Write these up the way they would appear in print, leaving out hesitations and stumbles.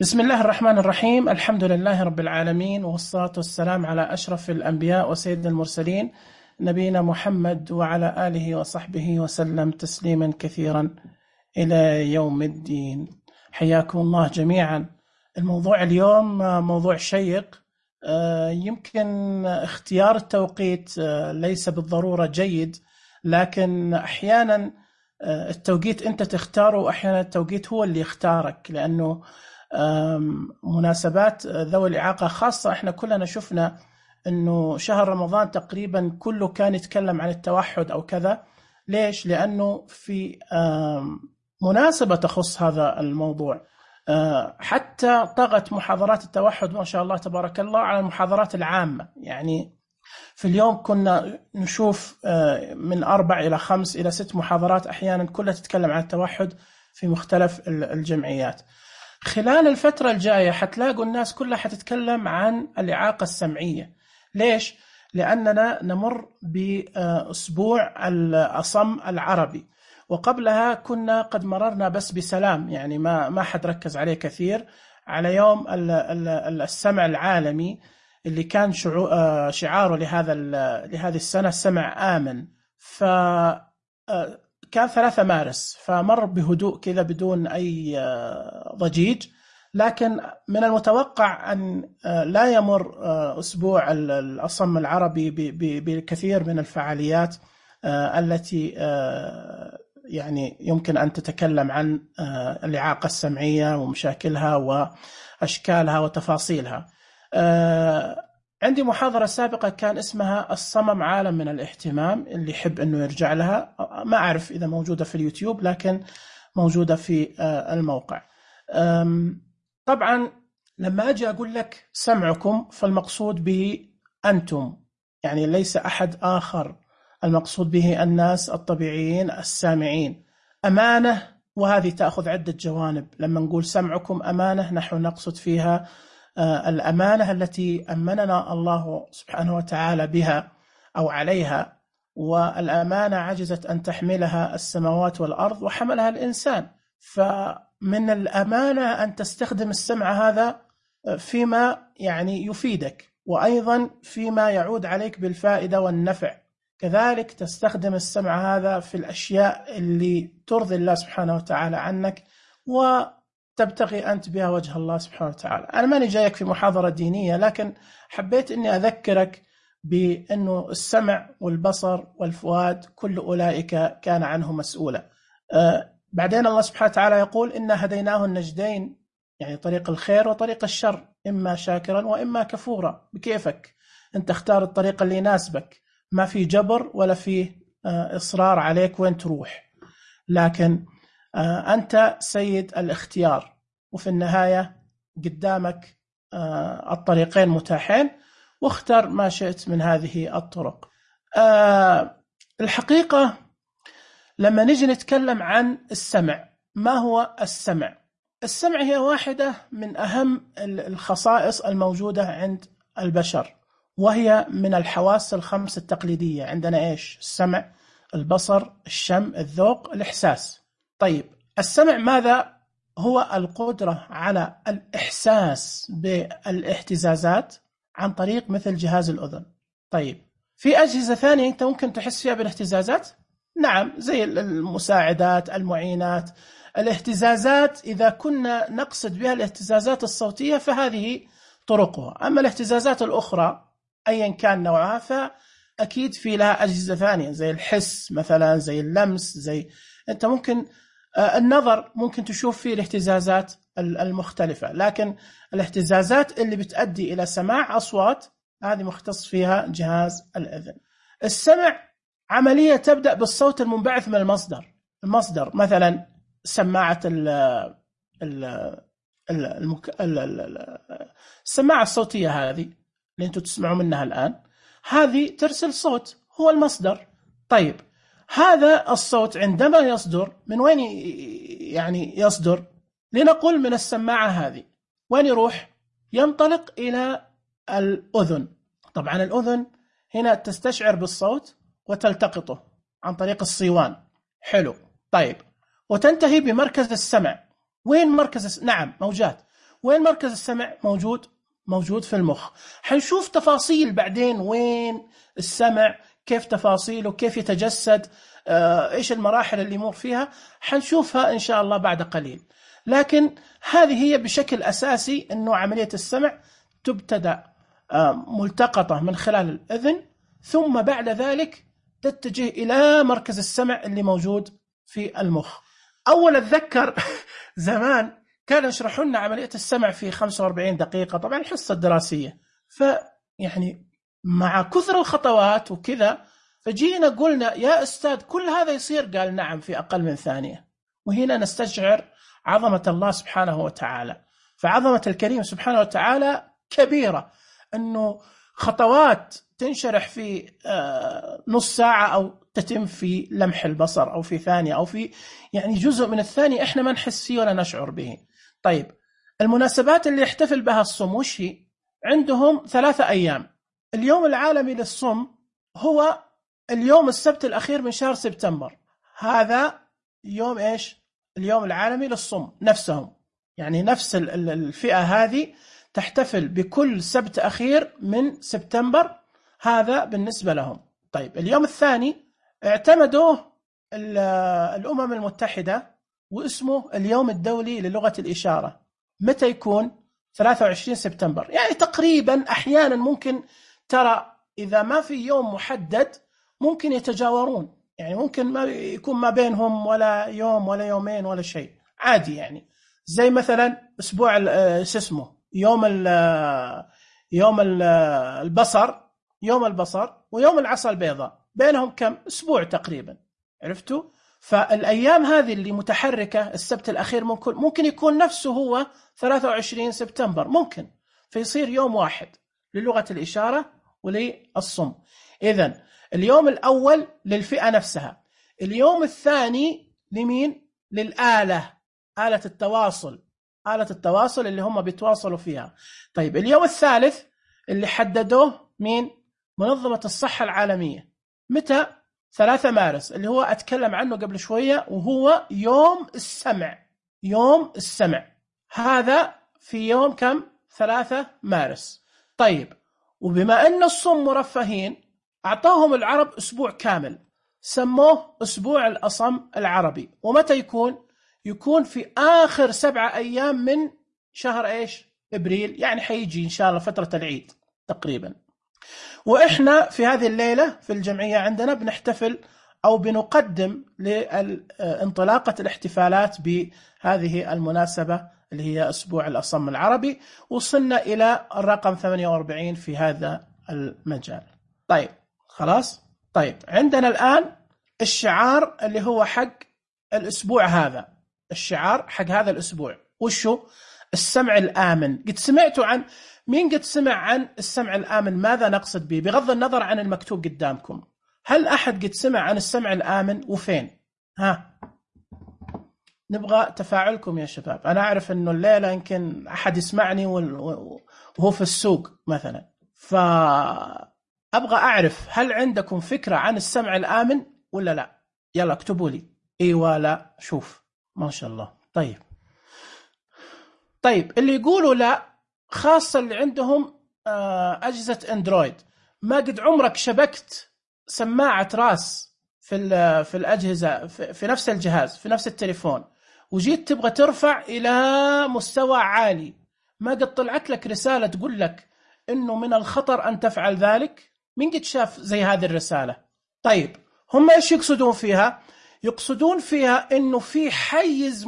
بسم الله الرحمن الرحيم. الحمد لله رب العالمين، والصلاة والسلام على أشرف الأنبياء وسيد المرسلين، نبينا محمد وعلى آله وصحبه وسلم تسليما كثيرا إلى يوم الدين. حياكم الله جميعا. الموضوع اليوم موضوع شيق. يمكن اختيار التوقيت ليس بالضرورة جيد، لكن أحيانا التوقيت أنت تختاره، وأحيانا التوقيت هو اللي يختارك، لأنه مناسبات ذوي الإعاقة خاصة. احنا كلنا شفنا انه شهر رمضان تقريبا كله كان يتكلم عن التوحد او كذا. ليش؟ لانه في مناسبة تخص هذا الموضوع. حتى طغت محاضرات التوحد ما شاء الله تبارك الله على المحاضرات العامة. يعني في اليوم كنا نشوف من 4 إلى 5 إلى 6 محاضرات أحيانا كلها تتكلم عن التوحد في مختلف الجمعيات. خلال الفترة الجاية حتلاقوا الناس كلها حتتكلم عن الإعاقة السمعية. ليش؟ لأننا نمر بأسبوع الأصم العربي، وقبلها كنا قد مررنا بس بسلام، يعني ما حد ركز عليه كثير، على يوم السمع العالمي اللي كان شعاره لهذه السنة سمع آمن. كان 3 مارس، فمر بهدوء كذا بدون أي ضجيج. لكن من المتوقع أن لا يمر أسبوع الأصم العربي بكثير من الفعاليات التي يعني يمكن أن تتكلم عن الإعاقة السمعية ومشاكلها وأشكالها وتفاصيلها. عندي محاضرة سابقة كان اسمها الصمم عالم من الاهتمام، اللي يحب أنه يرجع لها. ما أعرف إذا موجودة في اليوتيوب، لكن موجودة في الموقع. طبعا لما أجي أقول لك سمعكم فالمقصود به أنتم، يعني ليس أحد آخر. المقصود به الناس الطبيعيين السامعين. أمانة، وهذه تأخذ عدة جوانب. لما نقول سمعكم أمانة نحن نقصد فيها الأمانة التي أمننا الله سبحانه وتعالى بها أو عليها، والأمانة عجزت أن تحملها السماوات والأرض وحملها الإنسان. فمن الأمانة أن تستخدم السمع هذا فيما يعني يفيدك، وأيضا فيما يعود عليك بالفائدة والنفع. كذلك تستخدم السمع هذا في الأشياء اللي ترضي الله سبحانه وتعالى عنك وتبتغي أنت بها وجه الله سبحانه وتعالى. أنا ماني جايك في محاضرة دينية، لكن حبيت أني أذكرك بأنه السمع والبصر والفؤاد كل أولئك كان عنه مسؤولا. بعدين الله سبحانه وتعالى يقول إنا هديناه النجدين، يعني طريق الخير وطريق الشر، إما شاكرا وإما كفورا. بكيفك أنت اختار الطريق اللي يناسبك، ما في جبر ولا في إصرار عليك وين تروح، لكن أنت سيد الاختيار. وفي النهاية قدامك الطريقين متاحين، واختر ما شئت من هذه الطرق. الحقيقة لما نجي نتكلم عن السمع، ما هو السمع؟ السمع هي واحدة من أهم الخصائص الموجودة عند البشر، وهي من الحواس الخمس التقليدية. عندنا إيش؟ السمع، البصر، الشم، الذوق، الإحساس. طيب السمع ماذا؟ هو القدرة على الإحساس بالاهتزازات عن طريق مثل جهاز الأذن. طيب في أجهزة ثانية أنت ممكن تحس فيها بالاهتزازات؟ نعم، زي المساعدات، المعينات. الاهتزازات إذا كنا نقصد بها الاهتزازات الصوتية فهذه طرقها. أما الاهتزازات الأخرى أيا كان نوعها فأكيد في لها أجهزة ثانية، زي الحس مثلا، زي اللمس، زي أنت ممكن النظر ممكن تشوف فيه الاهتزازات المختلفة. لكن الاهتزازات اللي بتؤدي إلى سماع أصوات هذه مختص فيها جهاز الأذن. السمع عملية تبدأ بالصوت المنبعث من المصدر مثلا سماعة السماعة الصوتية هذه اللي أنتم تسمعوا منها الآن، هذه ترسل صوت، هو المصدر. طيب هذا الصوت عندما يصدر من وين؟ يعني يصدر لنقول من السماعة هذه، وين يروح؟ ينطلق إلى الأذن. طبعا الأذن هنا تستشعر بالصوت وتلتقطه عن طريق الصيوان. حلو. طيب وتنتهي بمركز السمع. وين مركز نعم موجات. وين مركز السمع؟ موجود في المخ. حنشوف تفاصيل بعدين وين السمع، كيف تفاصيله، كيف يتجسد، إيش المراحل اللي يمر فيها، حنشوفها إن شاء الله بعد قليل. لكن هذه هي بشكل أساسي أنه عملية السمع تبتدأ ملتقطة من خلال الأذن، ثم بعد ذلك تتجه إلى مركز السمع اللي موجود في المخ. أول أتذكر زمان كانوا يشرحوا لنا عملية السمع في 45 دقيقة، طبعا الحصة الدراسية، فيعني مع كثر الخطوات وكذا فجينا قلنا يا أستاذ كل هذا يصير؟ قال نعم في أقل من ثانية. وهنا نستشعر عظمة الله سبحانه وتعالى. فعظمة الكريم سبحانه وتعالى كبيرة، أنه خطوات تنشرح في نص ساعة أو تتم في لمح البصر أو في ثانية أو في يعني جزء من الثانية إحنا ما نحس فيه ولا نشعر به. طيب المناسبات اللي يحتفل بها الصم وش هي؟ عندهم 3 أيام. اليوم العالمي للصم هو اليوم السبت الأخير من شهر سبتمبر، هذا يوم إيش؟ اليوم العالمي للصم نفسهم، يعني نفس الفئة هذه تحتفل بكل سبت أخير من سبتمبر، هذا بالنسبة لهم. طيب اليوم الثاني اعتمدوه الأمم المتحدة واسمه اليوم الدولي للغة الإشارة. متى يكون؟ 23 سبتمبر. يعني تقريبا أحيانا ممكن ترى إذا ما في يوم محدد ممكن يتجاورون، يعني ممكن ما يكون ما بينهم ولا يوم ولا يومين ولا شيء، عادي. يعني زي مثلا أسبوع اسمه يوم البصر، يوم البصر ويوم العصا البيضاء، بينهم كم أسبوع تقريبا، عرفتوا؟ فالأيام هذه اللي متحركة السبت الأخير ممكن يكون نفسه هو 23 سبتمبر ممكن، فيصير يوم واحد للغة الإشارة وللصم. إذن اليوم الأول للفئة نفسها، اليوم الثاني لمين؟ للآلة، آلة التواصل اللي هم بيتواصلوا فيها. طيب اليوم الثالث اللي حددوه مين؟ منظمة الصحة العالمية. متى؟ 3 مارس اللي هو أتكلم عنه قبل شوية، وهو يوم السمع. يوم السمع هذا في يوم كم؟ 3 مارس. طيب وبما أن الصم مرفهين أعطاهم العرب أسبوع كامل سموه أسبوع الأصم العربي. ومتى يكون؟ يكون في آخر 7 أيام من شهر إيش؟ إبريل، يعني حيجي إن شاء الله فترة العيد تقريبا. وإحنا في هذه الليلة في الجمعية عندنا بنحتفل أو بنقدم لانطلاقة الاحتفالات بهذه المناسبة اللي هي أسبوع الأصم العربي. وصلنا إلى الرقم 48 في هذا المجال. طيب خلاص. طيب عندنا الآن الشعار اللي هو حق الأسبوع هذا، الشعار حق هذا الأسبوع وشو؟ السمع الآمن. قد سمعتوا عن مين؟ قد سمع عن السمع الآمن؟ ماذا نقصد به بغض النظر عن المكتوب قدامكم؟ هل أحد قد سمع عن السمع الآمن وفين؟ ها نبغى تفاعلكم يا شباب. أنا أعرف أنه الليلة يمكن أحد يسمعني وهو في السوق مثلا، فأبغى أعرف هل عندكم فكرة عن السمع الآمن ولا لا؟ يلا اكتبوا لي إيوه لا. شوف ما شاء الله. طيب اللي يقولوا لا، خاصة اللي عندهم أجهزة أندرويد، ما قد عمرك شبكت سماعة راس في الأجهزة في نفس الجهاز في نفس التليفون وجيت تبغى ترفع إلى مستوى عالي، ما قد طلعت لك رسالة تقول لك إنه من الخطر أن تفعل ذلك؟ مين قد شاف زي هذه الرسالة؟ طيب هم إيش يقصدون فيها؟ يقصدون فيها إنه في حيز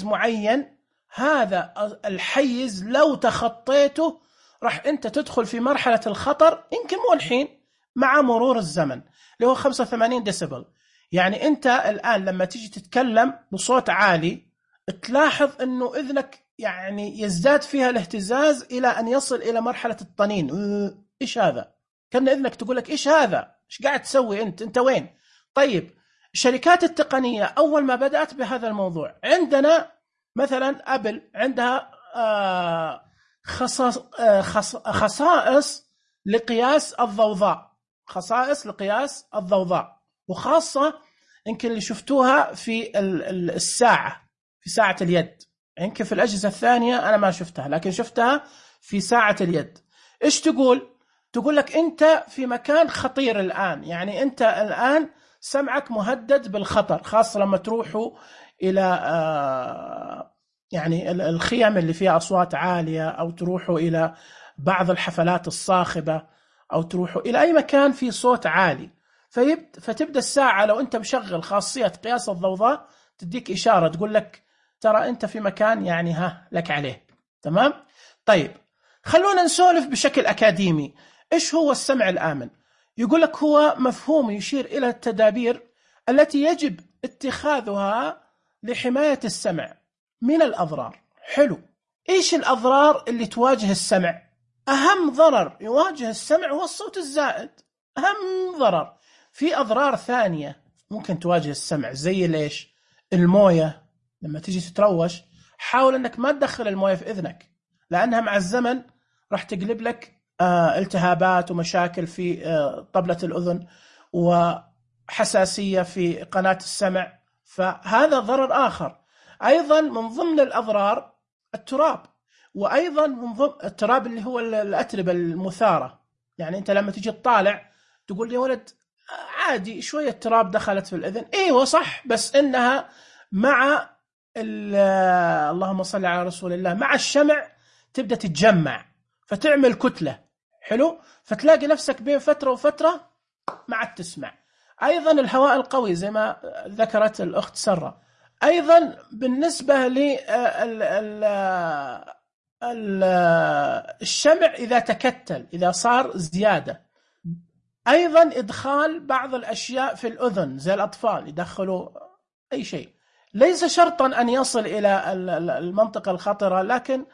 معين، هذا الحيز لو تخطيته راح أنت تدخل في مرحلة الخطر، يمكن مو الحين، مع مرور الزمن، اللي هو 85 ديسيبل. يعني أنت الآن لما تيجي تتكلم بصوت عالي تلاحظ أنه إذنك يعني يزداد فيها الاهتزاز إلى أن يصل إلى مرحلة الطنين. إيش هذا؟ كان إذنك تقول لك إيش هذا؟ إيش قاعد تسوي أنت وين؟ طيب الشركات التقنية أول ما بدأت بهذا الموضوع، عندنا مثلا أبل عندها خصائص لقياس الضوضاء، وخاصة يمكن اللي شفتوها في الساعة، في ساعة اليد، يمكن في الأجهزة الثانية أنا ما شفتها، لكن شفتها في ساعة اليد. إيش تقول؟ تقول لك أنت في مكان خطير الآن، يعني أنت الآن سمعك مهدد بالخطر، خاصة لما تروحوا إلى يعني الخيام اللي فيها أصوات عالية، أو تروحوا إلى بعض الحفلات الصاخبة، أو تروحوا إلى أي مكان فيه صوت عالي. فتبدأ الساعة لو أنت مشغل خاصية قياس الضوضاء تديك إشارة تقول لك ترى أنت في مكان يعني لك عليه. تمام؟ طيب خلونا نسولف بشكل أكاديمي. إيش هو السمع الآمن؟ يقول لك هو مفهوم يشير إلى التدابير التي يجب اتخاذها لحماية السمع من الأضرار. حلو. إيش الأضرار اللي تواجه السمع؟ أهم ضرر يواجه السمع هو الصوت الزائد، أهم ضرر. في أضرار ثانية ممكن تواجه السمع زي ليش؟ الموية، لما تيجي تتروش حاول أنك ما تدخل الموية في إذنك، لأنها مع الزمن راح تقلب لك التهابات ومشاكل في طبلة الأذن وحساسية في قناة السمع، فهذا ضرر آخر. أيضا من ضمن الأضرار التراب، وأيضا من ضمن التراب اللي هو الأتربة المثارة. يعني أنت لما تيجي تطالع تقول لي ولد عادي شوية تراب دخلت في الأذن، إيه صح، بس إنها مع اللهم صل على رسول الله مع الشمع تبدأ تتجمع فتعمل كتلة. حلو، فتلاقي نفسك بين فترة وفترة ما عاد تسمع. أيضا الهواء القوي زي ما ذكرت الأخت سرة. أيضا بالنسبة للشمع إذا تكتل، إذا صار زيادة. أيضا إدخال بعض الأشياء في الأذن زي الأطفال يدخلوا أي شيء، ليس شرطا أن يصل إلى المنطقة الخطرة، لكن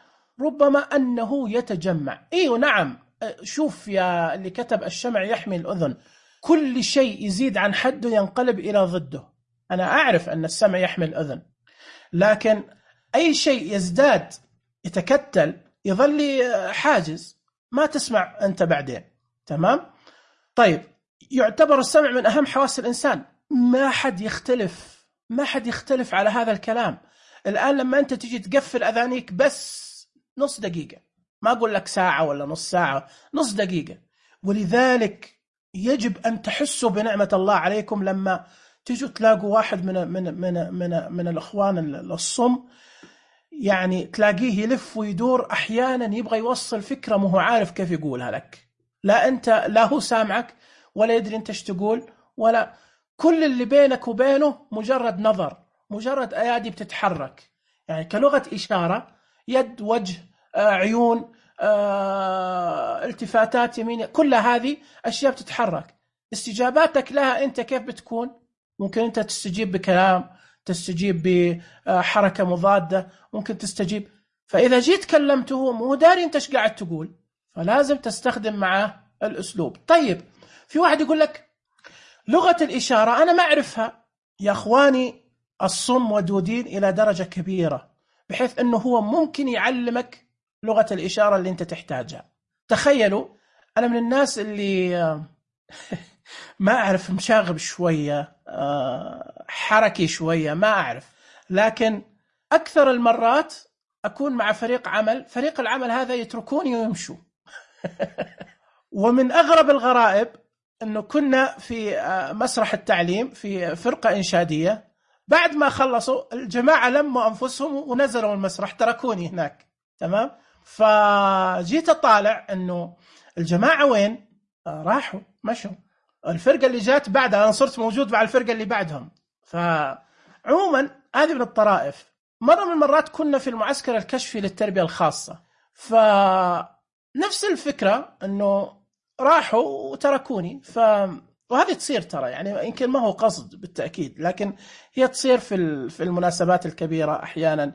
ربما أنه يتجمع. إيه نعم، شوف يا اللي كتب الشمع يحمي الأذن، كل شيء يزيد عن حده ينقلب إلى ضده. أنا أعرف أن السمع يحمي الأذن، لكن أي شيء يزداد يتكتل يظل حاجز، ما تسمع أنت بعدين. تمام؟ طيب، يعتبر السمع من أهم حواس الإنسان، ما حد يختلف على هذا الكلام. الآن لما أنت تيجي تقفل أذانيك بس نص دقيقة، ما أقول لك ساعة ولا نص ساعة، نص دقيقة. ولذلك يجب أن تحسوا بنعمة الله عليكم لما تيجوا تلاقوا واحد من الأخوان الصم، يعني تلاقيه يلف ويدور أحيانا يبغى يوصل فكرة مو عارف كيف يقولها لك، لا هو سامعك ولا يدري أنت ايش تقول، ولا كل اللي بينك وبينه مجرد نظر، مجرد أيادي بتتحرك، يعني كلغة إشارة، يد، وجه، عيون، التفاتات يمين، كل هذه أشياء بتتحرك. استجاباتك لها أنت كيف بتكون؟ ممكن أنت تستجيب بكلام، تستجيب بحركة مضادة، ممكن تستجيب. فإذا جيت كلمته مو داري أنت ايش قاعد تقول، فلازم تستخدم معه الأسلوب. طيب، في واحد يقول لك لغة الإشارة أنا ما أعرفها. يا أخواني، الصم ودودين إلى درجة كبيرة، بحيث أنه هو ممكن يعلمك لغة الإشارة اللي أنت تحتاجها. تخيلوا، أنا من الناس اللي ما أعرف، مشاغب شوية، حركي شوية، ما أعرف، لكن أكثر المرات أكون مع فريق العمل هذا يتركوني ويمشوا. ومن أغرب الغرائب أنه كنا في مسرح التعليم في فرقة إنشادية، بعد ما خلصوا الجماعة لموا أنفسهم ونزلوا المسرح، تركوني هناك. تمام؟ فجيت أطالع أنه الجماعة وين؟ راحوا مشوا. الفرقة اللي جات بعدها أنا صرت موجود مع الفرقة اللي بعدهم. فعموما هذه من الطرائف. مرة من المرات كنا في المعسكر الكشفي للتربية الخاصة، فنفس الفكرة أنه راحوا وتركوني. وهذه تصير ترى، يعني يمكن ما هو قصد بالتأكيد، لكن هي تصير في المناسبات الكبيرة. أحيانا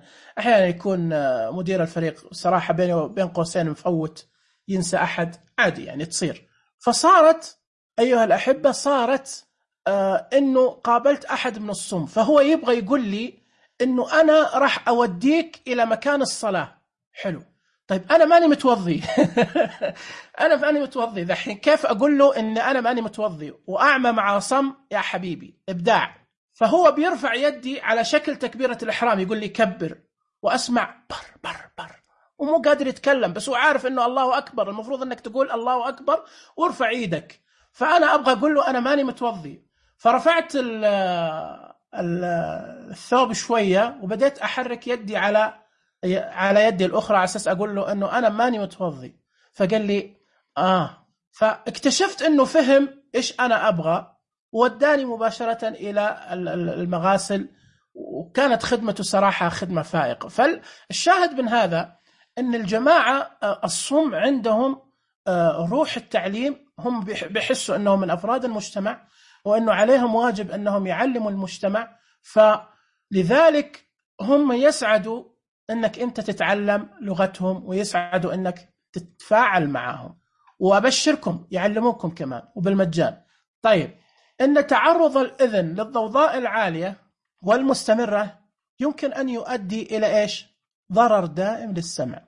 يكون مدير الفريق صراحة بين قوسين مفوت، ينسى أحد، عادي يعني تصير. فصارت أيها الأحبة، صارت إنه قابلت أحد من الصم، فهو يبغى يقول لي إنه أنا راح أوديك إلى مكان الصلاة. حلو، طيب أنا ماني متوضي. أنا ماني متوضي ذحين، كيف أقول له إن أنا ماني متوضي وأعمى مع صم؟ يا حبيبي إبداع. فهو بيرفع يدي على شكل تكبيرة الإحرام، يقول لي كبر، وأسمع بر بر بر ومو قادر يتكلم، بس هو عارف إنه الله أكبر، المفروض إنك تقول الله أكبر وارفع إيدك. فأنا أبغى أقول له أنا ماني متوضي، فرفعت الثوب شوية وبدأت أحرك يدي على يدي الأخرى على أساس أقول له إنه أنا ماني متوضي. فقال لي فاكتشفت إنه فهم إيش أنا أبغى، وداني مباشرة إلى المغاسل، وكانت خدمته صراحة خدمة فائقة. فالشاهد من هذا أن الجماعة الصم عندهم روح التعليم، هم بيحسوا أنهم من أفراد المجتمع وأنه عليهم واجب أنهم يعلموا المجتمع، فلذلك هم يسعدوا أنك أنت تتعلم لغتهم ويسعدوا أنك تتفاعل معهم، وأبشركم يعلموكم كمان وبالمجان. طيب، أن تعرض الأذن للضوضاء العالية والمستمرة يمكن أن يؤدي إلى إيش؟ ضرر دائم للسمع،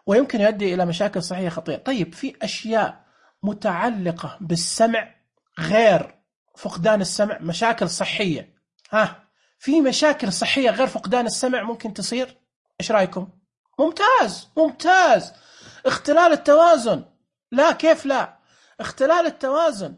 ويمكن يؤدي إلى مشاكل صحية خطيرة. طيب، في أشياء متعلقة بالسمع غير فقدان السمع، مشاكل صحية. في مشاكل صحية غير فقدان السمع ممكن تصير، إيش رأيكم؟ ممتاز ممتاز. اختلال التوازن، لا كيف لا، اختلال التوازن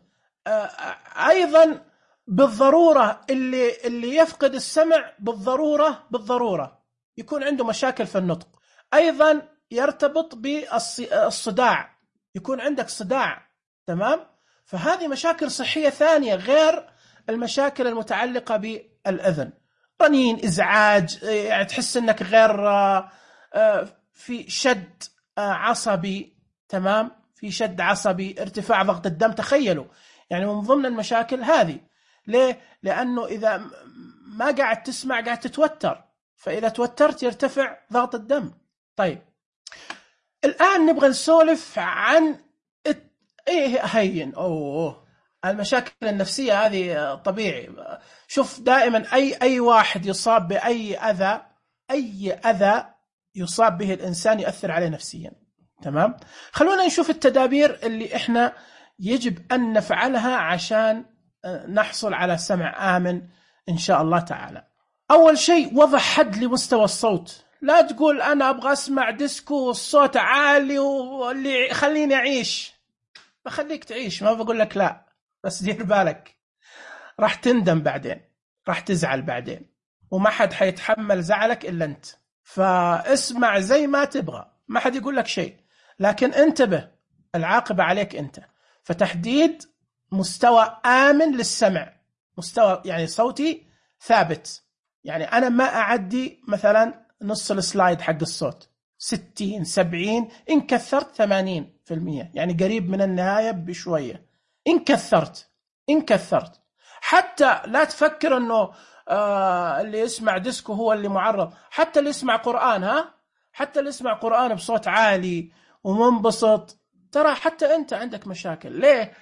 أيضا بالضرورة، اللي يفقد السمع بالضرورة يكون عنده مشاكل في النطق. أيضا يرتبط بالصداع، يكون عندك صداع، تمام؟ فهذه مشاكل صحية ثانية غير المشاكل المتعلقة بالأذن. رنين، إزعاج، يعني تحس أنك غير في شد عصبي، تمام؟ في شد عصبي، ارتفاع ضغط الدم. تخيلوا يعني من ضمن المشاكل هذه. ليه؟ لأنه إذا ما قاعد تسمع قاعد تتوتر، فإذا توترت يرتفع ضغط الدم. طيب، الآن نبغى نسولف عن هين المشاكل النفسية هذه. طبيعي، شوف دائما أي واحد يصاب بأي أذى يصاب به الإنسان يؤثر عليه نفسيا، تمام؟ خلونا نشوف التدابير اللي إحنا يجب أن نفعلها عشان نحصل على سمع آمن إن شاء الله تعالى. أول شيء، وضع حد لمستوى الصوت. لا تقول أنا أبغى أسمع ديسكو والصوت عالي واللي خليني أعيش. بخليك تعيش، ما بقول لك لا، بس دير بالك راح تندم بعدين، راح تزعل بعدين، وما حد حيتحمل زعلك إلا أنت. فاسمع زي ما تبغى، ما حد يقول لك شيء، لكن انتبه، العاقبة عليك أنت. فتحديد مستوى آمن للسمع، مستوى يعني صوتي ثابت، يعني أنا ما أعدي مثلا نص السلايد حق الصوت، 60 70 إن كثرت 80%، يعني قريب من النهاية بشوية إن كثرت. حتى لا تفكر أنه اللي يسمع ديسكو هو اللي معرض، حتى اللي يسمع قرآن، حتى اللي يسمع قرآن بصوت عالي ومنبسط، ترى حتى أنت عندك مشاكل. ليه؟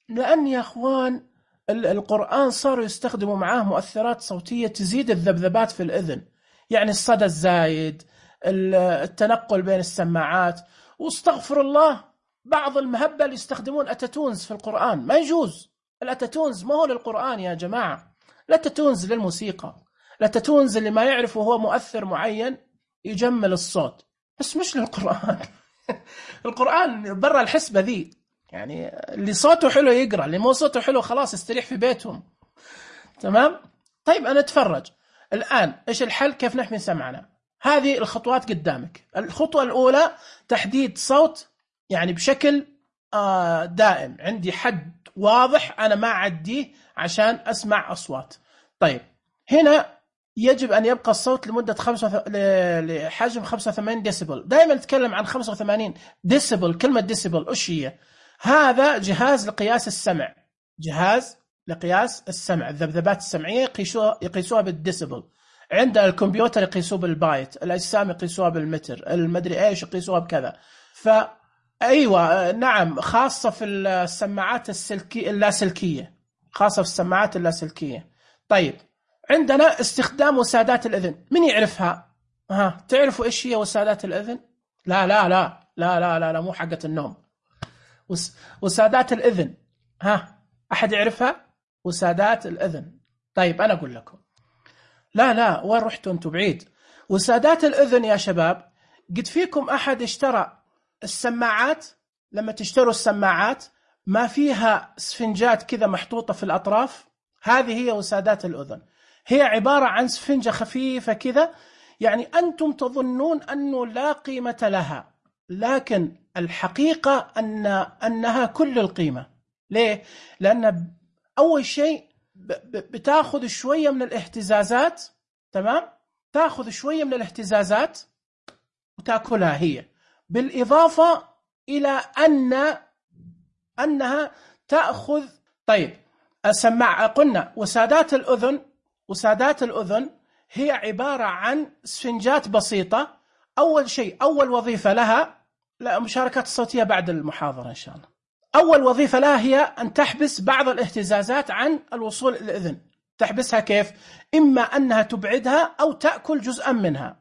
لأن يا أخوان القرآن صاروا يستخدموا معاه مؤثرات صوتية تزيد الذبذبات في الأذن، يعني الصدى الزايد، التنقل بين السماعات. واستغفر الله، بعض المهبل يستخدمون أتاتونز في القرآن، ما يجوز. الأتاتونز ما هو للقرآن يا جماعة، الأتاتونز للموسيقى. الأتاتونز اللي ما يعرفه هو مؤثر معين يجمل الصوت، بس مش للقرآن. القرآن برا الحسبة ذي، يعني اللي صوته حلو يقرأ، اللي مو صوته حلو خلاص يستريح في بيتهم، تمام؟ طيب، أنا أتفرج الآن إيش الحل، كيف نحمي سمعنا. هذه الخطوات قدامك. الخطوة الأولى تحديد صوت، يعني بشكل دائم، عندي حد واضح أنا ما أعديه عشان أسمع أصوات. طيب، هنا يجب أن يبقى الصوت لمدة لحجم 85 ديسيبل. دائما نتكلم عن 85 ديسيبل. كلمة ديسيبل إيش هي؟ هذا جهاز لقياس السمع، جهاز لقياس السمع، الذبذبات السمعية يقيسوها بالديسيبل. عند الكمبيوتر يقيسوه بالبايت، الأجسام يقيسوها بالمتر، المدري إيش يقيسوها بكذا. فأيوة نعم، خاصة في السماعات اللاسلكية، خاصة في السماعات اللاسلكية. طيب، عندنا استخدام وسادات الأذن. من يعرفها؟ تعرفوا إيش هي وسادات الأذن؟ لا لا لا لا لا لا, لا مو حقة النوم. وسادات الأذن، أحد يعرفها؟ وسادات الأذن. طيب، أنا أقول لكم. لا وين رحتوا أنتوا بعيد؟ وسادات الأذن يا شباب، قد فيكم أحد اشترى السماعات؟ لما تشتروا السماعات ما فيها سفنجات كذا محطوطة في الأطراف؟ هذه هي وسادات الأذن، هي عبارة عن سفنجة خفيفة كذا، يعني أنتم تظنون أنه لا قيمة لها، لكن الحقيقة أنها كل القيمة. ليه؟ لأن أول شيء بتاخذ شوية من الاهتزازات، تمام؟ تاخذ شوية من الاهتزازات وتأكلها هي، بالإضافة إلى أنها تأخذ. طيب السماعة قلنا وسادات الأذن هي عبارة عن سفنجات بسيطة. أول شيء، أول وظيفة لها، لا مشاركات الصوتية بعد المحاضرة إن شاء الله. أول وظيفة لها هي أن تحبس بعض الاهتزازات عن الوصول إلى الأذن. تحبسها كيف؟ إما أنها تبعدها أو تأكل جزءا منها.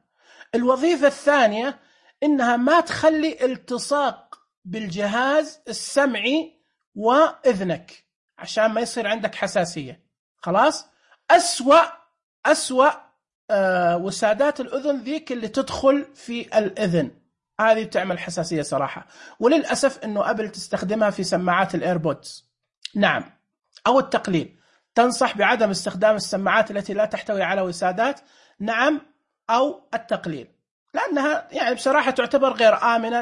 الوظيفة الثانية إنها ما تخلي التصاق بالجهاز السمعي وإذنك عشان ما يصير عندك حساسية. خلاص؟ أسوأ وسادات الأذن ذيك اللي تدخل في الإذن، هذه تعمل حساسية صراحة. وللأسف أنه أبل تستخدمها في سماعات الإيربودز. نعم. أو التقليل، تنصح بعدم استخدام السماعات التي لا تحتوي على وسادات. نعم. أو التقليل، لأنها يعني بصراحة تعتبر غير آمنة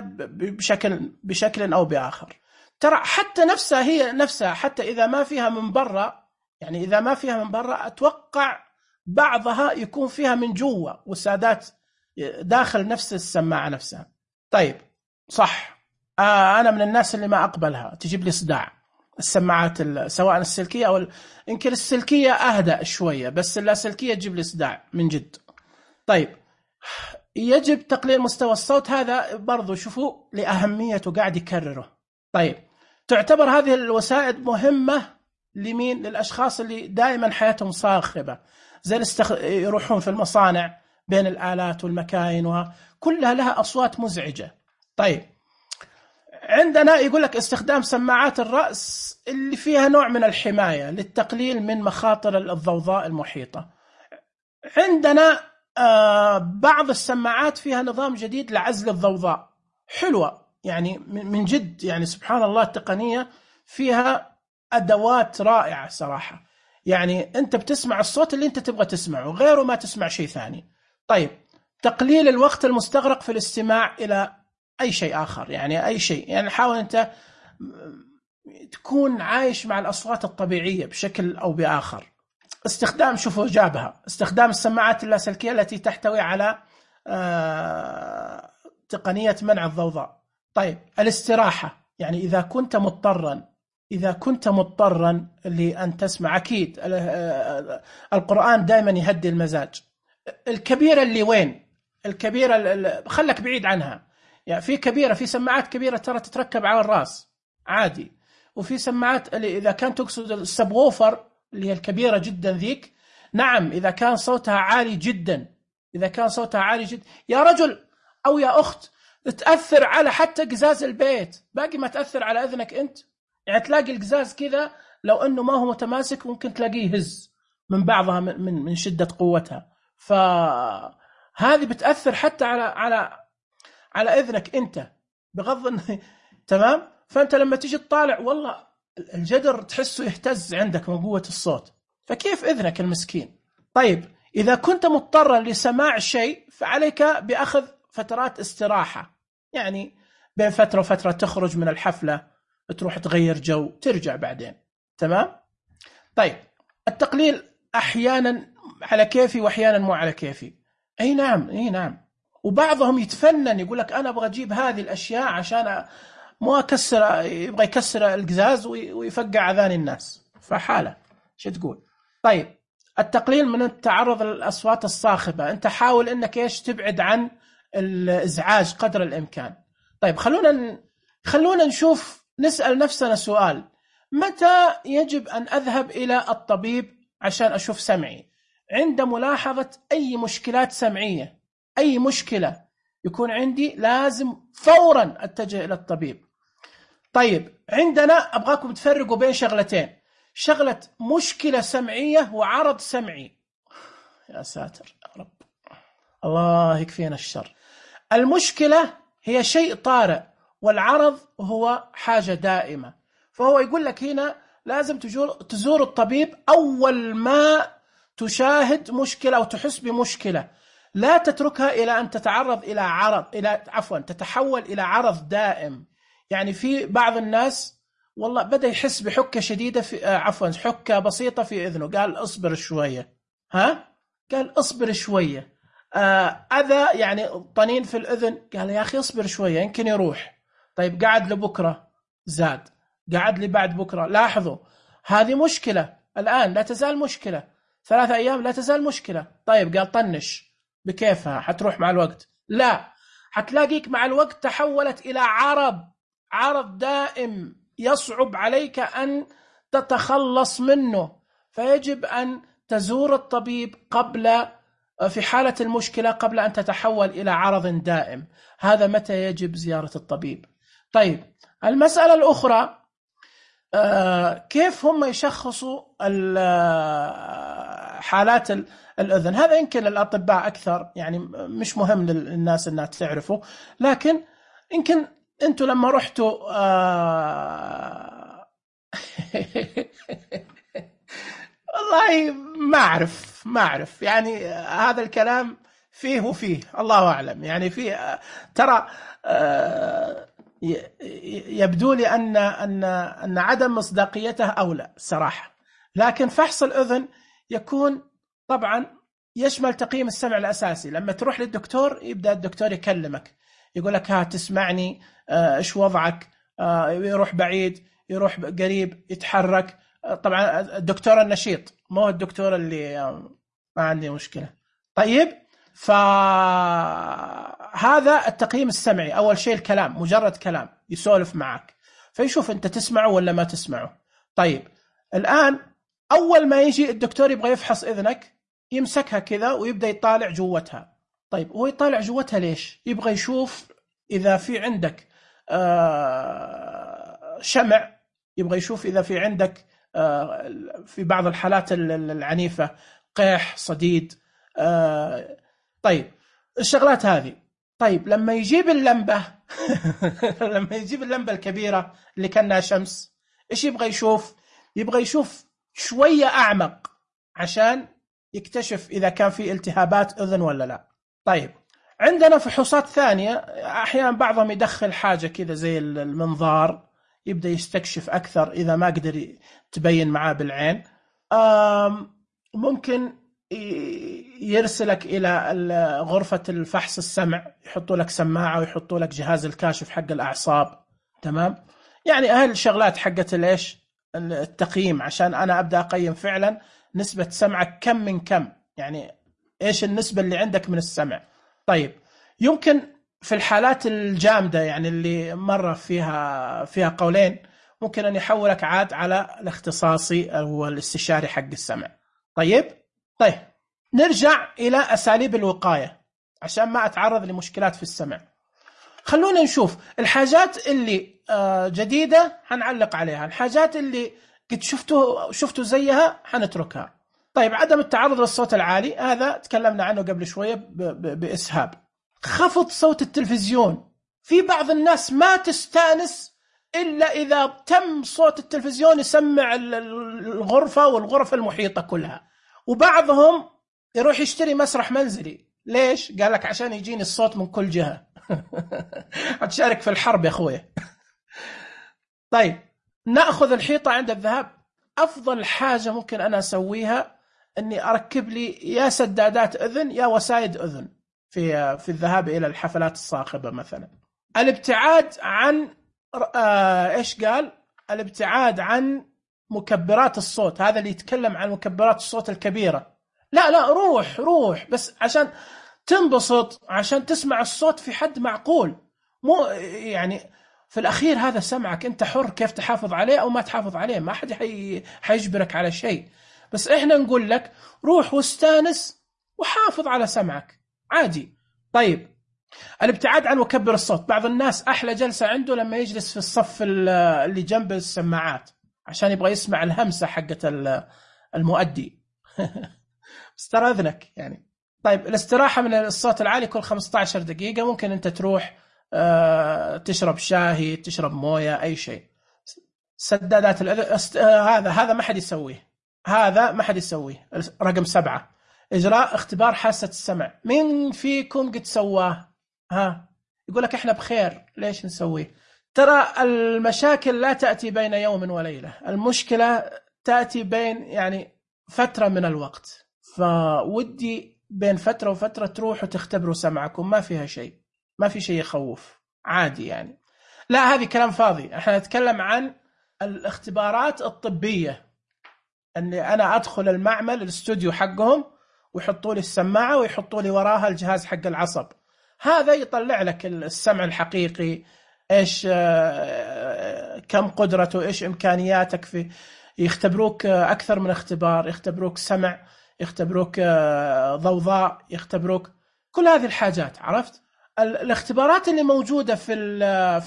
بشكل أو بآخر. ترى حتى نفسها هي نفسها، حتى إذا ما فيها من برا، يعني إذا ما فيها من برا أتوقع بعضها يكون فيها من جوا وسادات داخل نفس السماعة نفسها. طيب صح، أنا من الناس اللي ما أقبلها، تجيب لي صداع السماعات سواء السلكية أو يمكن السلكية أهدأ شوية، بس اللاسلكية تجيب لي صداع من جد. طيب يجب تقليل مستوى الصوت، هذا برضو شوفوا لأهميته قاعد يكرره. طيب تعتبر هذه الوسائل مهمة لمين؟ للأشخاص اللي دائما حياتهم صاخبة، زي يروحون في المصانع بين الآلات والمكاين وكلها لها أصوات مزعجة. طيب عندنا يقول لك استخدام سماعات الرأس اللي فيها نوع من الحماية للتقليل من مخاطر الضوضاء المحيطة. عندنا بعض السماعات فيها نظام جديد لعزل الضوضاء، حلوة يعني من جد، يعني سبحان الله التقنية فيها أدوات رائعة صراحة. يعني أنت بتسمع الصوت اللي أنت تبغى تسمعه، غيره ما تسمع شيء ثاني. طيب تقليل الوقت المستغرق في الاستماع إلى أي شيء آخر، يعني أي شيء، يعني حاول أنت تكون عايش مع الأصوات الطبيعية بشكل أو بآخر. استخدام، شوفوا جابها، استخدام السماعات اللاسلكية التي تحتوي على تقنية منع الضوضاء. طيب الاستراحة، يعني إذا كنت مضطرا لأن تسمع، أكيد القرآن دائما يهدي المزاج. الكبيرة اللي وين؟ الكبيرة خلك بعيد عنها، يعني في سماعات كبيرة ترى تتركب على الرأس عادي، وفي سماعات اللي إذا كان تقصد السبووفر اللي هي الكبيرة جدا ذيك، نعم إذا كان صوتها عالي جدا، يا رجل أو يا أخت تأثر على حتى قزاز البيت، باقي ما تأثر على أذنك أنت. يعني تلاقي القزاز كذا لو أنه ما هو متماسك ممكن تلاقيه يهز من بعضها من شدة قوتها، فهذه بتأثر حتى على إذنك أنت بغض تمام. فأنت لما تيجي تطالع والله الجدر تحسه يهتز عندك من قوة الصوت، فكيف إذنك المسكين؟ طيب إذا كنت مضطرا لسماع شيء فعليك بأخذ فترات استراحة، يعني بين فترة وفترة تخرج من الحفلة، تروح تغير جو، ترجع بعدين. تمام. طيب التقليل أحيانا على كيفي وأحيانا مو على كيفي. أي نعم. وبعضهم يتفنن يقول لك أنا أبغى أجيب هذه الأشياء عشان مو يبغى يكسر القزاز ويفقع أذان الناس، فحالة شو تقول. طيب التقليل من التعرض للأصوات الصاخبة، أنت حاول أنك تبعد عن الإزعاج قدر الإمكان. طيب خلونا نشوف، نسأل نفسنا سؤال: متى يجب أن أذهب إلى الطبيب عشان أشوف سمعي؟ عند ملاحظة أي مشكلات سمعية، أي مشكلة يكون عندي لازم فورا أتجه إلى الطبيب. طيب عندنا أبغاكم تفرقوا بين شغلتين: شغلة مشكلة سمعية وعرض سمعي. يا ساتر يا رب، الله يكفينا الشر. المشكلة هي شيء طارئ، والعرض هو حاجة دائمة. فهو يقول لك هنا لازم تزور الطبيب أول ما تشاهد مشكلة أو تحس بمشكلة، لا تتركها إلى أن تتعرض إلى تتحول إلى عرض دائم. يعني في بعض الناس والله بدأ يحس بحكة شديدة حكة بسيطة في إذنه، قال أصبر شوية، قال أصبر شوية. أذى يعني طنين في الأذن، قال يا أخي أصبر شوية يمكن يروح. طيب قعد لبكرة زاد، قعد لي بعد بكرة. لاحظوا هذه مشكلة الآن لا تزال مشكلة، 3 أيام لا تزال مشكلة. طيب قال طنش بكيفها حتروح مع الوقت؟ لا، حتلاقيك مع الوقت تحولت إلى عرض دائم يصعب عليك أن تتخلص منه. فيجب أن تزور الطبيب في حالة المشكلة قبل أن تتحول إلى عرض دائم. هذا متى يجب زيارة الطبيب. طيب المسألة الأخرى، كيف هم يشخصوا حالات الأذن؟ هذا يمكن الأطباء أكثر، يعني مش مهم للناس أنها تعرفوا، لكن يمكن أنتوا لما رحتوا والله ما أعرف يعني هذا الكلام فيه وفيه، الله أعلم. يعني فيه ترى يبدو لي أن عدم مصداقيته أولى صراحة. لكن فحص الأذن يكون طبعا يشمل تقييم السمع الأساسي. لما تروح للدكتور يبدأ الدكتور يكلمك، يقول لك ها تسمعني، إيش وضعك، يروح بعيد يروح قريب يتحرك. طبعا الدكتور النشيط، مو الدكتور اللي ما عندي مشكلة. طيب فهذا التقييم السمعي. أول شيء الكلام، مجرد كلام يسولف معك فيشوف أنت تسمعه ولا ما تسمعه. طيب الآن أول ما يجي الدكتور يبغى يفحص إذنك يمسكها كذا ويبدأ يطالع جوتها. طيب هو يطالع جوتها ليش؟ يبغى يشوف إذا في عندك شمع، يبغى يشوف إذا في عندك في بعض الحالات العنيفة قيح صديد. طيب الشغلات هذه. طيب لما يجيب اللمبة لما يجيب اللمبة الكبيرة اللي كانها شمس، إيش يبغى يشوف؟ يبغى يشوف شوية أعمق عشان يكتشف إذا كان في التهابات أذن ولا لا. طيب عندنا فحوصات ثانية، أحيانا بعضهم يدخل حاجة كذا زي المنظار، يبدأ يستكشف أكثر إذا ما قدر تبين معاه بالعين. ممكن يرسلك إلى غرفة الفحص السمع، يحطوا لك سماعة ويحطوا لك جهاز الكاشف حق الأعصاب. تمام، يعني أهل الشغلات حقت الإيش التقييم، عشان أنا أبدأ أقيم فعلا نسبة سمعك كم من كم، يعني إيش النسبة اللي عندك من السمع. طيب يمكن في الحالات الجامدة يعني اللي مرة فيها قولين، ممكن أن يحولك عاد على الاختصاصي أو الاستشاري حق السمع. طيب نرجع إلى أساليب الوقاية عشان ما أتعرض لمشكلات في السمع. خلونا نشوف الحاجات اللي جديدة هنعلق عليها، الحاجات اللي قد شفتوا زيها هنتركها. طيب عدم التعرض للصوت العالي، هذا تكلمنا عنه قبل شوية بإسهاب. خفض صوت التلفزيون، في بعض الناس ما تستانس إلا إذا تم صوت التلفزيون يسمع الغرفة والغرف المحيطة كلها. وبعضهم يروح يشتري مسرح منزلي. ليش؟ قال لك عشان يجيني الصوت من كل جهة. هتشارك في الحرب يا أخويا. طيب نأخذ الحيطة عند الذهاب. أفضل حاجة ممكن أنا أسويها أني أركب لي يا سدادات أذن يا وسائد أذن في الذهاب إلى الحفلات الصاخبة مثلا. الابتعاد عن إيش قال؟ الابتعاد عن مكبرات الصوت. هذا اللي يتكلم عن مكبرات الصوت الكبيرة. لا روح بس عشان تنبسط، عشان تسمع الصوت في حد معقول، مو يعني في الأخير هذا سمعك، أنت حر كيف تحافظ عليه أو ما تحافظ عليه، ما أحد حيجبرك على شيء. بس إحنا نقول لك روح واستانس وحافظ على سمعك عادي. طيب الابتعاد عن مكبر الصوت. بعض الناس أحلى جلسة عنده لما يجلس في الصف اللي جنب السماعات عشان يبغى يسمع الهمسة حقة المؤدي. بس ترى أذنك يعني طيب الاستراحة من الصوت العالي كل 15 دقيقة، ممكن أنت تروح تشرب شاهي، تشرب موية، أي شيء. سدادات هذا ما حد يسويه، هذا ما حد يسويه. رقم 7، إجراء اختبار حاسة السمع. مين فيكم قد سواه؟ يقول لك إحنا بخير، ليش نسويه؟ ترى المشاكل لا تأتي بين يوم وليلة، المشكلة تأتي بين يعني فترة من الوقت. فودي بين فترة وفترة تروح وتختبروا سمعكم، ما فيها شيء، ما في شيء يخوف، عادي يعني. لا هذه كلام فاضي، احنا نتكلم عن الاختبارات الطبية، أني أنا أدخل المعمل الاستوديو حقهم ويحطوا لي السماعة ويحطوا لي وراها الجهاز حق العصب، هذا يطلع لك السمع الحقيقي، إيش كم قدرته، إيش إمكانياتك، في يختبروك أكثر من اختبار، يختبروك سمع، يختبروك ضوضاء، يختبروك كل هذه الحاجات. عرفت؟ الاختبارات اللي موجودة في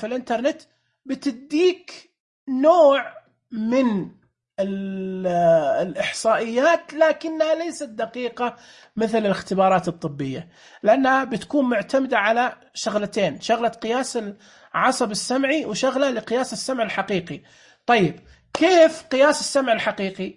الإنترنت بتديك نوع من الإحصائيات، لكنها ليست دقيقة مثل الاختبارات الطبية، لأنها بتكون معتمدة على شغلتين، شغلة قياس العصب السمعي وشغلة لقياس السمع الحقيقي. طيب كيف قياس السمع الحقيقي؟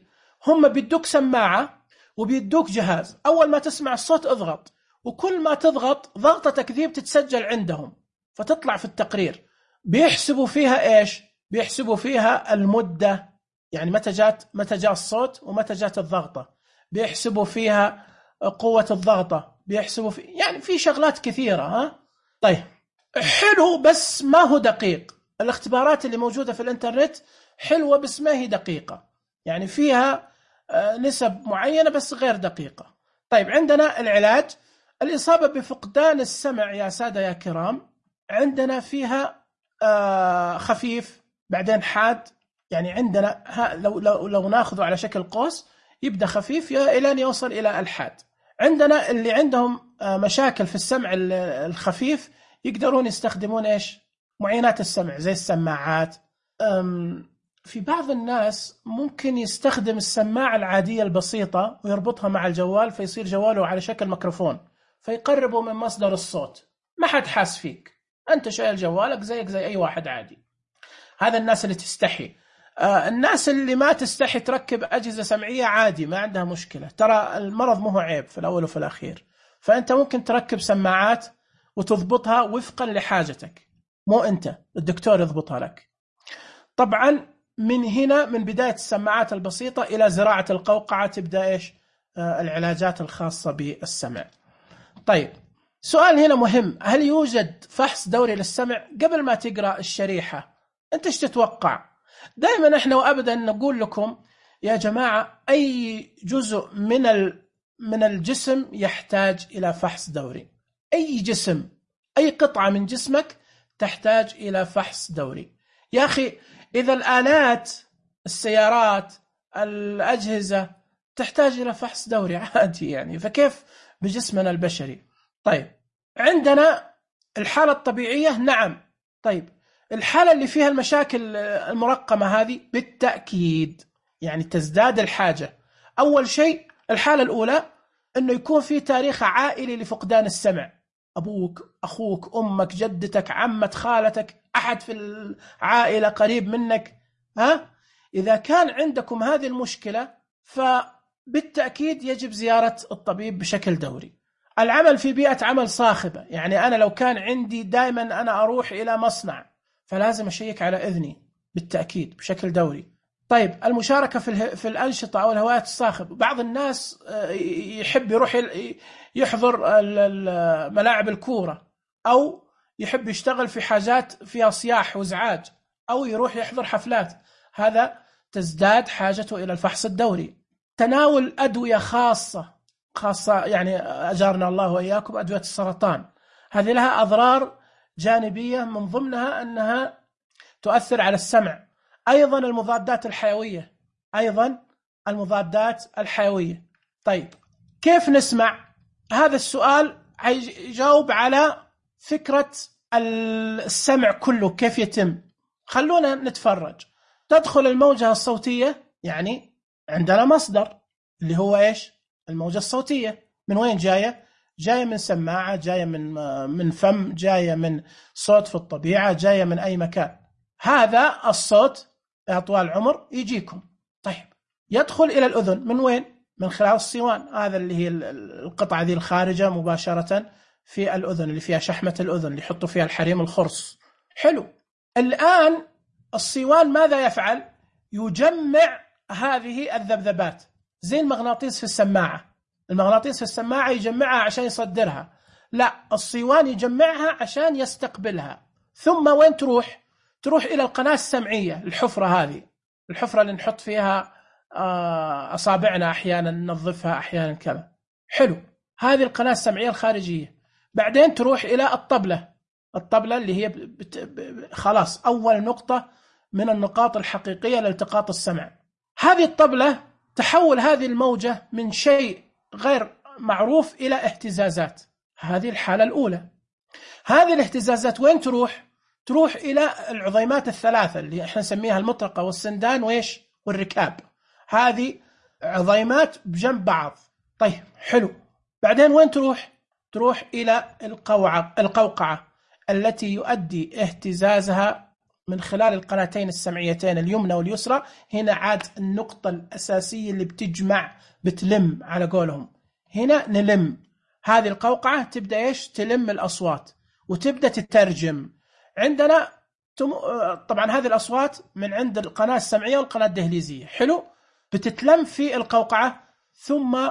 هم بيدوك سماعة وبيدوك جهاز، أول ما تسمع الصوت اضغط، وكل ما تضغط ضغطتك ذي بتتسجل عندهم فتطلع في التقرير. بيحسبوا فيها إيش؟ بيحسبوا فيها المدة، يعني متى جاء الصوت ومتى جاءت الضغطة، بيحسبوا فيها قوة الضغطة، بيحسبوا يعني في شغلات كثيرة. طيب حلو، بس ما هو دقيق. الاختبارات اللي موجودة في الانترنت حلوة بس ما هي دقيقة، يعني فيها نسب معينة بس غير دقيقة. طيب عندنا العلاج، الإصابة بفقدان السمع يا سادة يا كرام، عندنا فيها خفيف بعدين حاد، يعني عندنا لو ناخذه على شكل قوس، يبدأ خفيف إلى أن يوصل إلى الحاد. عندنا اللي عندهم مشاكل في السمع الخفيف يقدرون يستخدمون إيش؟ معينات السمع زي السماعات. في بعض الناس ممكن يستخدم السماعة العادية البسيطة ويربطها مع الجوال، فيصير جواله على شكل ميكروفون، فيقربه من مصدر الصوت، ما حد حاس فيك، أنت شايل جوالك زيك زي أي واحد عادي. هذا الناس اللي تستحي. الناس اللي ما تستحي تركب أجهزة سمعية عادي، ما عندها مشكلة، ترى المرض مو عيب في الأول وفي الأخير. فأنت ممكن تركب سماعات وتضبطها وفقا لحاجتك، مو أنت، الدكتور يضبطها لك. طبعا من هنا، من بداية السماعات البسيطة إلى زراعة القوقعة، تبدأ إيش؟ العلاجات الخاصة بالسمع. طيب سؤال هنا مهم، هل يوجد فحص دوري للسمع؟ قبل ما تقرأ الشريحة أنت إيش تتوقع؟ دائما إحنا وأبدا نقول لكم يا جماعة، أي جزء من الجسم يحتاج إلى فحص دوري، أي جسم، أي قطعة من جسمك تحتاج إلى فحص دوري. يا أخي إذا الآلات، السيارات، الأجهزة تحتاج إلى فحص دوري عادي يعني، فكيف بجسمنا البشري؟ طيب عندنا الحالة الطبيعية، نعم. طيب الحالة اللي فيها المشاكل المرقمة هذه بالتأكيد يعني تزداد الحاجة. أول شيء الحالة الأولى أنه يكون في تاريخ عائلي لفقدان السمع، أبوك، أخوك، أمك، جدتك، عمة، خالتك، أحد في العائلة قريب منك. إذا كان عندكم هذه المشكلة فبالتأكيد يجب زيارة الطبيب بشكل دوري. العمل في بيئة عمل صاخبة، يعني أنا لو كان عندي دائما أنا أروح إلى مصنع فلازم أشيك على إذني بالتأكيد بشكل دوري. طيب المشاركة في الأنشطة أو الهوايات الصاخبة، بعض الناس يحب يروح يحضر ملاعب الكورة، أو يحب يشتغل في حاجات فيها صياح وازعاج، أو يروح يحضر حفلات، هذا تزداد حاجته إلى الفحص الدوري. تناول أدوية خاصة يعني أجارنا الله وإياكم، أدوية السرطان، هذه لها أضرار جانبية، من ضمنها أنها تؤثر على السمع. أيضا المضادات الحيوية. طيب كيف نسمع؟ هذا السؤال يجاوب على فكرة السمع كله كيف يتم. خلونا نتفرج. تدخل الموجة الصوتية، يعني عندنا مصدر اللي هو إيش؟ الموجة الصوتية من وين جاية؟ جاية من سماعة، جاية من فم، جاية من صوت في الطبيعة، جاية من أي مكان. هذا الصوت يا طوال العمر يجيكم. طيب يدخل إلى الأذن من وين؟ من خلال الصوان، هذا اللي هي القطعة ذي الخارجة مباشرة في الأذن، اللي فيها شحمة الأذن اللي يحطوا فيها الحريم الخرص. حلو. الآن الصوان ماذا يفعل؟ يجمع هذه الذبذبات زي المغناطيس في السماعة. المغناطيس في السماعة يجمعها عشان يصدرها، لا، الصوان يجمعها عشان يستقبلها. ثم وين تروح؟ تروح إلى القناة السمعية، الحفرة هذه، الحفرة اللي نحط فيها أصابعنا أحيانا، ننظفها أحيانا كذا. حلو. هذه القناة السمعية الخارجية. بعدين تروح إلى الطبلة اللي هي خلاص أول نقطة من النقاط الحقيقية لالتقاط السمع. هذه الطبلة تحول هذه الموجة من شيء غير معروف إلى اهتزازات. هذه الحالة الأولى. هذه الاهتزازات وين تروح؟ تروح إلى العظيمات الثلاثة اللي احنا نسميها المطرقة والسندان وإيش والركاب. هذه عظيمات بجنب بعض. طيب حلو. بعدين وين تروح؟ تروح إلى القوقعة التي يؤدي اهتزازها من خلال القناتين السمعيتين اليمنى واليسرى. هنا عاد النقطة الأساسية اللي بتلم على قولهم. هنا نلم هذه القوقعة، تبدأ إيش؟ تلم الأصوات وتبدأ تترجم عندنا. طبعا هذه الأصوات من عند القناة السمعية والقناة الدهليزية. حلو. بتتلم في القوقعة، ثم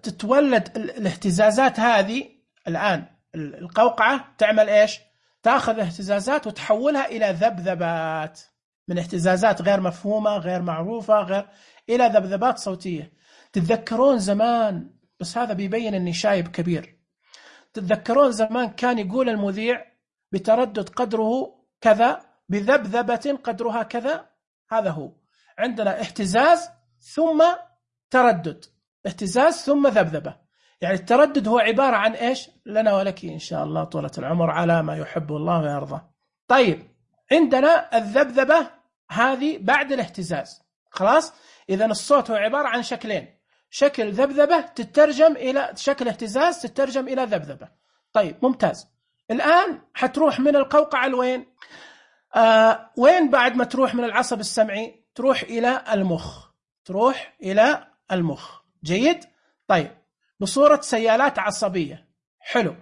تتولد الاهتزازات هذه. الآن القوقعة تعمل إيش؟ تأخذ اهتزازات وتحولها إلى ذبذبات، من اهتزازات غير مفهومة غير معروفة إلى ذبذبات صوتية. تتذكرون زمان، بس هذا بيبين أني شايب كبير، تتذكرون زمان كان يقول المذيع بتردد قدره كذا، بذبذبة قدرها كذا. هذا هو. عندنا اهتزاز ثم تردد، اهتزاز ثم ذبذبة. يعني التردد هو عبارة عن إيش؟ لنا ولك إن شاء الله طولة العمر على ما يحب الله ويرضى. طيب عندنا الذبذبة هذه بعد الاهتزاز. خلاص. إذن الصوت هو عبارة عن شكلين، شكل ذبذبة تترجم إلى شكل اهتزاز تترجم إلى ذبذبة. طيب ممتاز. الآن حتروح من القوقعة لوين؟ وين بعد ما تروح من العصب السمعي؟ تروح إلى المخ. تروح إلى المخ. جيد. طيب بصورة سيالات عصبية. حلو.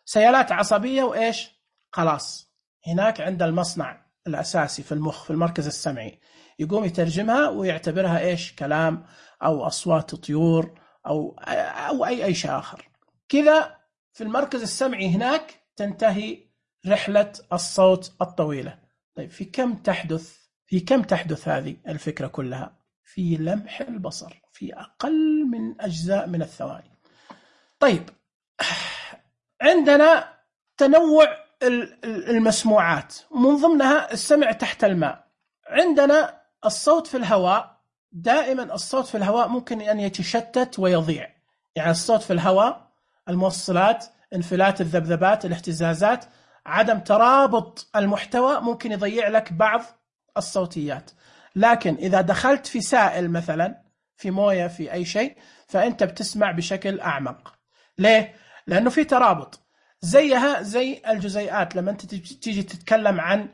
سيالات عصبية وإيش؟ خلاص هناك عند المصنع الأساسي في المخ في المركز السمعي، يقوم يترجمها ويعتبرها إيش؟ كلام أو أصوات طيور أو أي شيء آخر. كذا في المركز السمعي هناك تنتهي رحلة الصوت الطويلة. طيب في كم تحدث هذه الفكرة كلها؟ في لمح البصر، في أقل من أجزاء من الثواني. طيب عندنا تنوع المسموعات، من ضمنها السمع تحت الماء. عندنا الصوت في الهواء. دائما الصوت في الهواء ممكن أن يتشتت ويضيع. يعني الصوت في الهواء، الموصلات، انفلات الذبذبات، الاهتزازات، عدم ترابط المحتوى ممكن يضيع لك بعض الصوتيات. لكن إذا دخلت في سائل مثلا، في موية، في أي شيء، فأنت بتسمع بشكل أعمق. ليه؟ لأنه في ترابط. زيها زي الجزيئات. لما أنت تيجي تتكلم عن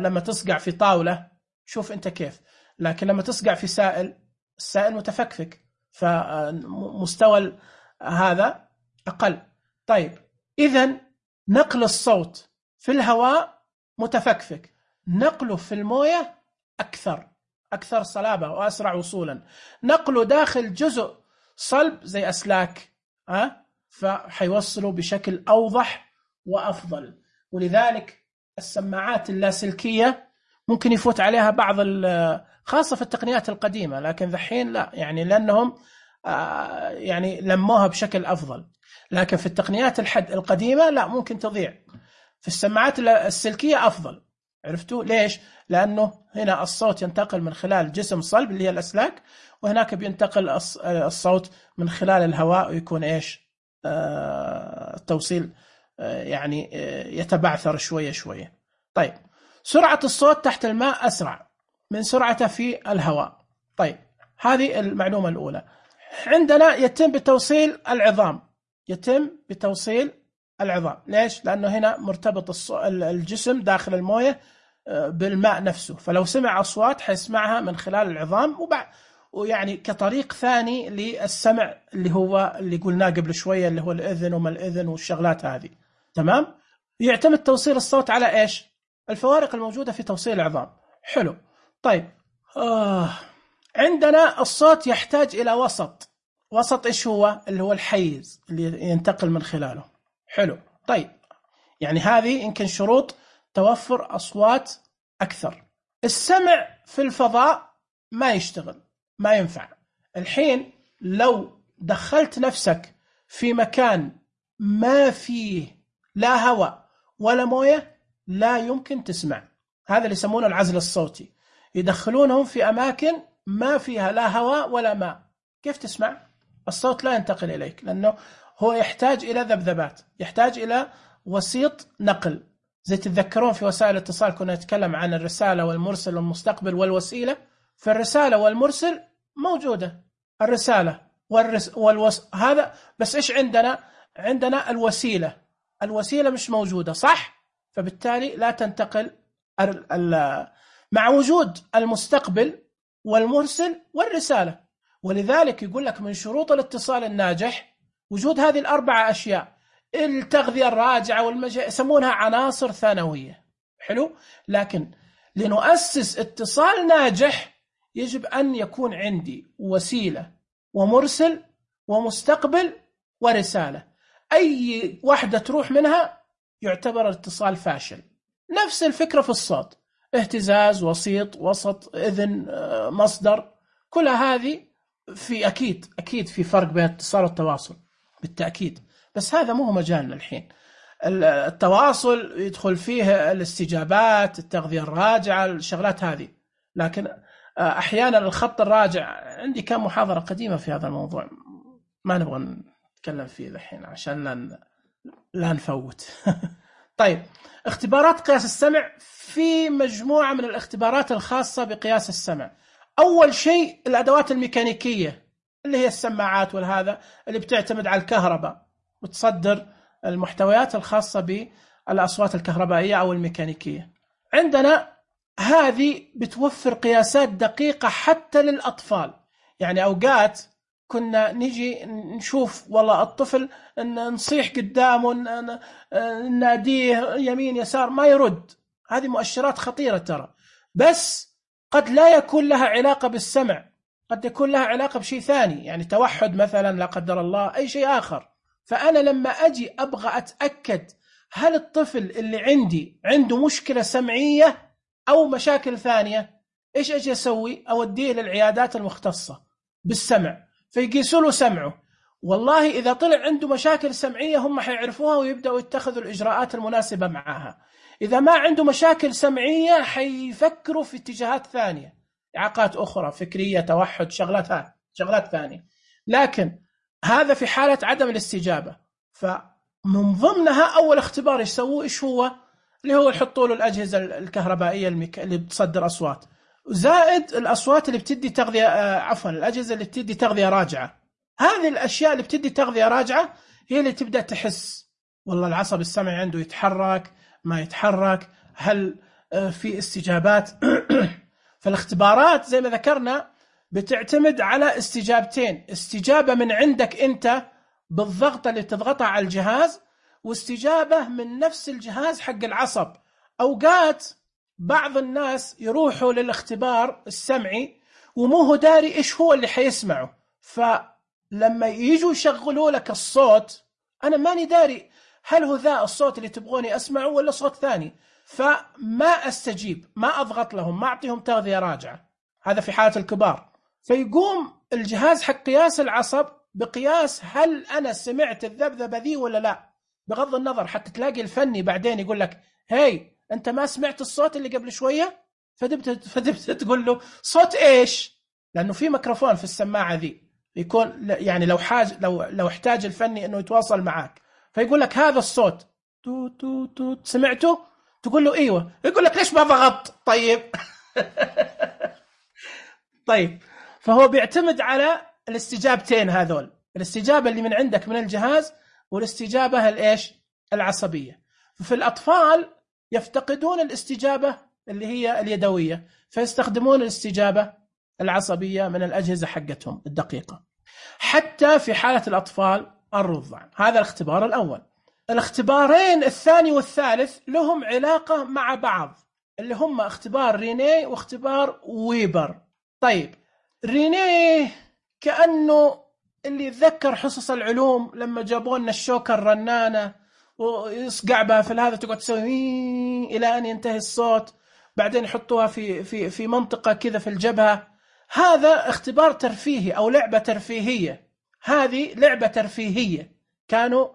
لما تصقع في طاولة، شوف أنت كيف. لكن لما تصقع في السائل متفكفك، فمستوى هذا أقل. طيب إذن نقل الصوت في الهواء متفكفك، نقله في الموية أكثر صلابة وأسرع وصولا. نقله داخل جزء صلب زي أسلاك فحيوصله بشكل أوضح وأفضل. ولذلك السماعات اللاسلكية ممكن يفوت عليها بعض خاصة في التقنيات القديمة، لكن ذحين لا، يعني لأنهم يعني لموها بشكل أفضل. لكن في التقنيات القديمة لا، ممكن تضيع. في السماعات السلكية أفضل. عرفتوا ليش؟ لأنه هنا الصوت ينتقل من خلال جسم صلب اللي هي الأسلاك، وهناك بينتقل الصوت من خلال الهواء، ويكون إيش؟ التوصيل يعني يتبعثر شوية. طيب سرعة الصوت تحت الماء أسرع من سرعته في الهواء. طيب هذه المعلومة الأولى. عندنا يتم بتوصيل العظام. يتم بتوصيل العظام. ليش؟ لأنه هنا مرتبط الجسم داخل الموية بالماء نفسه، فلو سمع أصوات حيسمعها من خلال العظام، ويعني كطريق ثاني للسمع اللي هو اللي قلناه قبل شوية، اللي هو الإذن وما الإذن والشغلات هذه. تمام؟ يعتمد توصيل الصوت على إيش؟ الفوارق الموجودة في توصيل العظام. حلو. طيب عندنا الصوت يحتاج إلى وسط. وسط إيش هو؟ اللي هو الحيز اللي ينتقل من خلاله. حلو. طيب يعني هذه يمكن شروط توفر أصوات أكثر. السمع في الفضاء ما يشتغل، ما ينفع. الحين لو دخلت نفسك في مكان ما فيه لا هواء ولا موية لا يمكن تسمع. هذا اللي يسمونه العزل الصوتي. يدخلونهم في أماكن ما فيها لا هواء ولا ماء، كيف تسمع؟ الصوت لا ينتقل إليك، لأنه هو يحتاج إلى ذبذبات، يحتاج إلى وسيط نقل. زي تتذكرون في وسائل الاتصال كنا نتكلم عن الرسالة والمرسل والمستقبل والوسيلة. فالرسالة والمرسل موجودة، الرسالة هذا بس إيش عندنا؟ عندنا الوسيلة. الوسيلة مش موجودة، صح؟ فبالتالي لا تنتقل مع وجود المستقبل والمرسل والرسالة. ولذلك يقول لك من شروط الاتصال الناجح وجود هذه الأربعة أشياء: التغذية الراجعة يسمونها عناصر ثانوية. حلو. لكن لنؤسس اتصال ناجح يجب أن يكون عندي وسيلة ومرسل ومستقبل ورسالة. أي واحدة تروح منها يعتبر الاتصال فاشل. نفس الفكرة في الصوت: اهتزاز، وسيط، وسط، إذن، مصدر. كل هذه في أكيد في فرق بين الاتصال والتواصل بالتأكيد، بس هذا مو مجالنا الحين. التواصل يدخل فيه الاستجابات، التغذية الراجعة، الشغلات هذه. لكن أحيانا الخط الراجع، عندي كم محاضرة قديمة في هذا الموضوع ما نبغى نتكلم فيه الحين عشان لا نفوت. طيب، اختبارات قياس السمع. في مجموعة من الاختبارات الخاصة بقياس السمع. أول شيء الأدوات الميكانيكية اللي هي السماعات والهذا اللي بتعتمد على الكهرباء وتصدر المحتويات الخاصة بالأصوات الكهربائية أو الميكانيكية. عندنا هذه بتوفر قياسات دقيقة حتى للأطفال. يعني أوقات كنا نجي نشوف والله الطفل نصيح قدامه، ناديه يمين يسار ما يرد. هذه مؤشرات خطيرة ترى، بس قد لا يكون لها علاقة بالسمع، قد يكون لها علاقة بشيء ثاني، يعني توحد مثلا لا قدر الله، أي شيء آخر. فأنا لما أجي أبغى أتأكد هل الطفل اللي عندي عنده مشكلة سمعية أو مشاكل ثانية، إيش أجي أسوي؟ أوديه للعيادات المختصة بالسمع فيقيسوا له سمعه. والله إذا طلع عنده مشاكل سمعية هم حيعرفوها ويبدأوا يتخذوا الإجراءات المناسبة معها. إذا ما عنده مشاكل سمعية حيفكروا في اتجاهات ثانية، إعاقات أخرى فكرية، توحد، شغلات ثانية. لكن هذا في حالة عدم الاستجابة. فمن ضمنها أول اختبار يسووه إيش هو؟ اللي هو يحطوا له الأجهزة الكهربائية اللي بتصدر أصوات، زائد الأصوات اللي بتدي تغذية، الأجهزة اللي بتدي تغذية راجعة. هذه الأشياء اللي بتدي تغذية راجعة هي اللي تبدأ تحس والله العصب السمعي عنده يتحرك ما يتحرك، هل في استجابات. فالاختبارات زي ما ذكرنا بتعتمد على استجابتين: استجابة من عندك أنت بالضغط اللي تضغطها على الجهاز، واستجابة من نفس الجهاز حق العصب. أوقات بعض الناس يروحوا للاختبار السمعي ومو هو داري إيش هو اللي حيسمعه، فلما يجوا يشغلوا لك الصوت أنا ماني داري هل هو ذا الصوت اللي تبغوني أسمعه ولا صوت ثاني، فما أستجيب، ما أضغط لهم، ما أعطيهم تغذية راجعة. هذا في حالة الكبار. فيقوم الجهاز حق قياس العصب بقياس هل أنا سمعت الذبذبة ذي ولا لا، بغض النظر. حتى تلاقي الفني بعدين يقول لك هاي أنت ما سمعت الصوت اللي قبل شوية، فدبت تقول له صوت إيش، لأنه في ميكروفون في السماعة ذي يكون يعني لو احتاج الفني إنه يتواصل معك فيقول لك هذا الصوت تو تو تو سمعته، تقول له ايوه، يقول لك ليش ما ضغطت؟ طيب طيب، فهو بيعتمد على الاستجابتين هذول: الاستجابة اللي من عندك من الجهاز، والاستجابة الإيش؟ العصبية. في الأطفال يفتقدون الاستجابة اللي هي اليدوية، فيستخدمون الاستجابة العصبية من الأجهزة حقتهم الدقيقة. حتى في حالة الأطفال الرضع. هذا الاختبار الأول. الاختبارين الثاني والثالث لهم علاقة مع بعض، اللي هم اختبار رينيه واختبار ويبر. طيب رينيه كأنه اللي يتذكر حصص العلوم لما جابوا لنا الشوكة الرنانة ويصقع بها في هذا، تقعد تسوي إلى أن ينتهي الصوت، بعدين يحطوها في منطقة كذا في الجبهة. هذا اختبار ترفيهي أو لعبة ترفيهية. هذه لعبة ترفيهية كانوا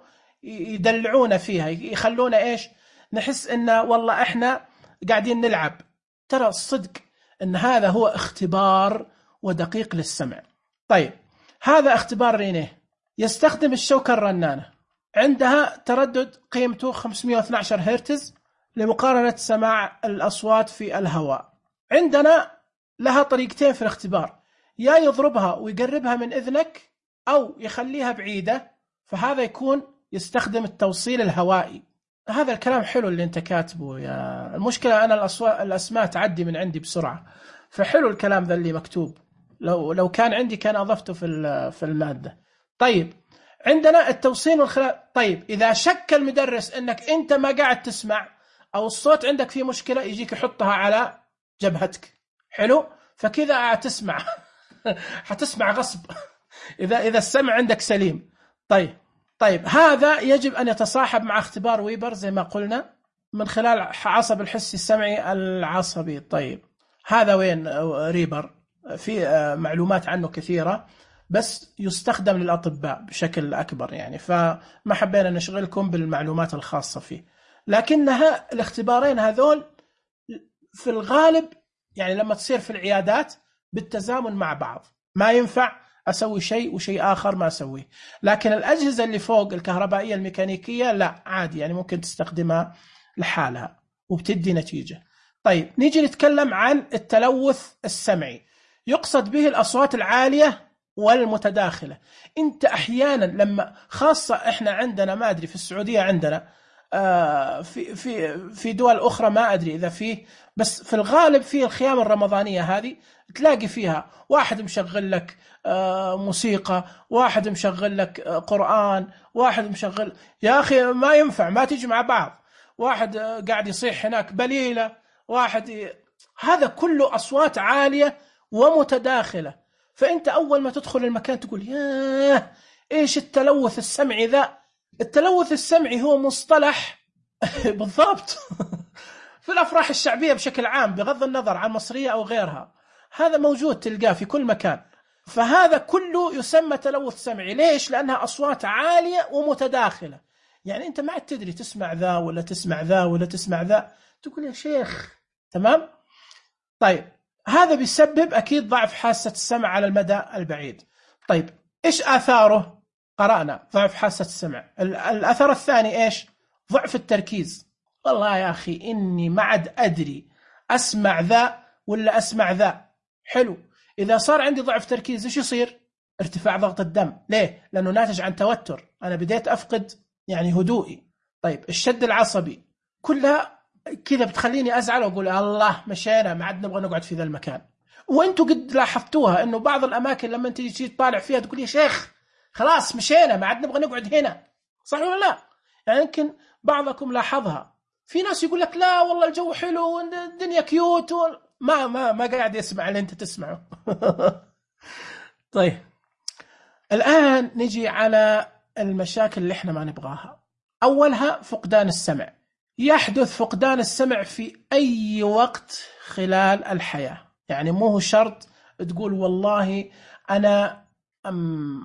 يدلعونا فيها، يخلونا إيش؟ نحس إن والله إحنا قاعدين نلعب. ترى الصدق إن هذا هو اختبار ودقيق للسمع. طيب هذا اختبار رينيه، يستخدم الشوكة الرنانة، عندها تردد قيمته 512 هرتز لمقارنة سماع الأصوات في الهواء. عندنا لها طريقتين في الاختبار، يا يضربها ويقربها من إذنك أو يخليها بعيدة، فهذا يكون يستخدم التوصيل الهوائي. هذا الكلام حلو اللي انت كاتبه يا المشكلة أنا الأسماء تعدي من عندي بسرعة، فحلو الكلام ذا اللي مكتوب، لو كان عندي كان أضفته في المادة. طيب عندنا التوصيل والخلال. طيب إذا شك المدرس أنك أنت ما قاعد تسمع أو الصوت عندك فيه مشكلة، يجيك يحطها على جبهتك. حلو، فكذا تسمع حتسمع غصب إذا السمع عندك سليم. طيب هذا يجب أن يتصاحب مع اختبار ويبر زي ما قلنا من خلال عصب الحسي السمعي العصبي. طيب هذا وين ريبر؟ في معلومات عنه كثيرة بس يستخدم للأطباء بشكل أكبر يعني، فما حبينا نشغلكم بالمعلومات الخاصة فيه. لكنها الاختبارين هذول في الغالب يعني لما تصير في العيادات بالتزامن مع بعض، ما ينفع أسوي شيء وشيء آخر ما أسويه. لكن الأجهزة اللي فوق الكهربائية الميكانيكية لا، عادي يعني ممكن تستخدمها لحالها وبتدي نتيجة. طيب نيجي نتكلم عن التلوث السمعي. يقصد به الأصوات العالية والمتداخلة. أنت أحيانا لما خاصة إحنا عندنا ما أدري في السعودية عندنا في دول أخرى ما أدري إذا فيه، بس في الغالب في الخيام الرمضانية هذه تلاقي فيها واحد مشغل لك موسيقى، واحد مشغل لك قرآن، واحد مشغل، يا أخي ما ينفع، ما تيجي مع بعض. واحد قاعد يصيح هناك بليلة، هذا كله أصوات عالية ومتداخلة. فأنت أول ما تدخل المكان تقول ياه إيش التلوث السمعي ذا. التلوث السمعي هو مصطلح بالضبط في الأفراح الشعبية بشكل عام بغض النظر عن مصرية أو غيرها، هذا موجود تلقاه في كل مكان. فهذا كله يسمى تلوث سمعي. ليش؟ لأنها أصوات عالية ومتداخلة. يعني أنت ما تدري تسمع ذا ولا تسمع ذا ولا تسمع ذا، تقول يا شيخ. تمام؟ طيب هذا بيسبب أكيد ضعف حاسة السمع على المدى البعيد. طيب إيش آثاره؟ قرأنا ضعف حاسة السمع. الأثر الثاني إيش؟ ضعف التركيز. والله يا أخي إني ما عاد أدري أسمع ذا ولا أسمع ذا. حلو، إذا صار عندي ضعف تركيز إيش يصير؟ ارتفاع ضغط الدم. ليه؟ لأنه ناتج عن توتر، أنا بديت أفقد يعني هدوئي. طيب الشد العصبي كلها كذا بتخليني أزعل وأقول الله مشينا، ما عاد نبغى نقعد في ذا المكان. وأنتوا قد لاحظتوها إنه بعض الأماكن لما أنت تجي تطالع فيها تقول يا شيخ خلاص مشينا، ما عاد نبغى نقعد هنا. صح ولا لا؟ يعني يمكن بعضكم لاحظها. في ناس يقول لك لا والله الجو حلو والدنيا كيوت ما قاعد يسمع اللي أنت تسمعه. طيب الآن نجي على المشاكل اللي احنا ما نبغاها. أولها فقدان السمع. يحدث فقدان السمع في أي وقت خلال الحياة، يعني مو هو شرط تقول والله أنا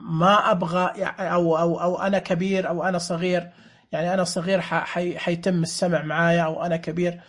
ما أبغى أو أنا كبير أو أنا صغير. يعني أنا صغير حيتم السمع معايا، أو أنا كبير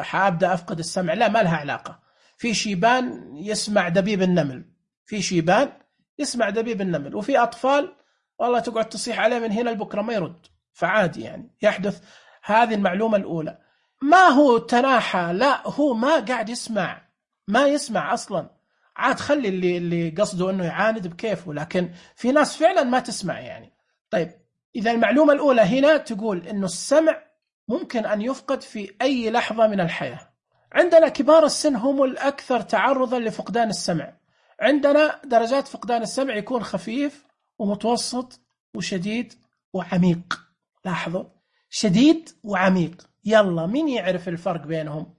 حأبدأ أفقد السمع. لا، ما لها علاقة. في شيبان يسمع دبيب النمل، في شيبان يسمع دبيب النمل، وفي أطفال والله تقعد تصيح عليه من هنا لبكرة ما يرد. فعادي يعني يحدث. هذه المعلومة الأولى. ما هو تناحى، لا، هو ما قاعد يسمع، ما يسمع أصلا. عاد خلي اللي قصده أنه يعاند بكيفه، لكن في ناس فعلا ما تسمع يعني. طيب إذا المعلومة الأولى هنا تقول إنه السمع ممكن أن يفقد في أي لحظة من الحياة. عندنا كبار السن هم الأكثر تعرضا لفقدان السمع. عندنا درجات فقدان السمع يكون خفيف ومتوسط وشديد وعميق. لاحظوا، شديد وعميق. يلا مين يعرف الفرق بينهم؟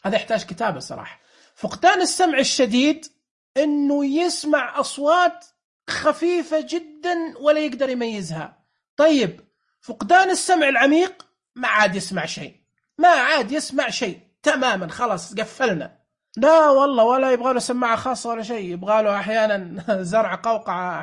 هذا يحتاج كتابة صراحة. فقدان السمع الشديد إنه يسمع أصوات خفيفة جدا ولا يقدر يميزها. طيب فقدان السمع العميق ما عاد يسمع شيء، ما عاد يسمع شيء تماما، خلاص قفلنا. لا والله ولا يبغى له سماعة خاصة ولا شيء، يبغى له أحيانا زرع قوقعة،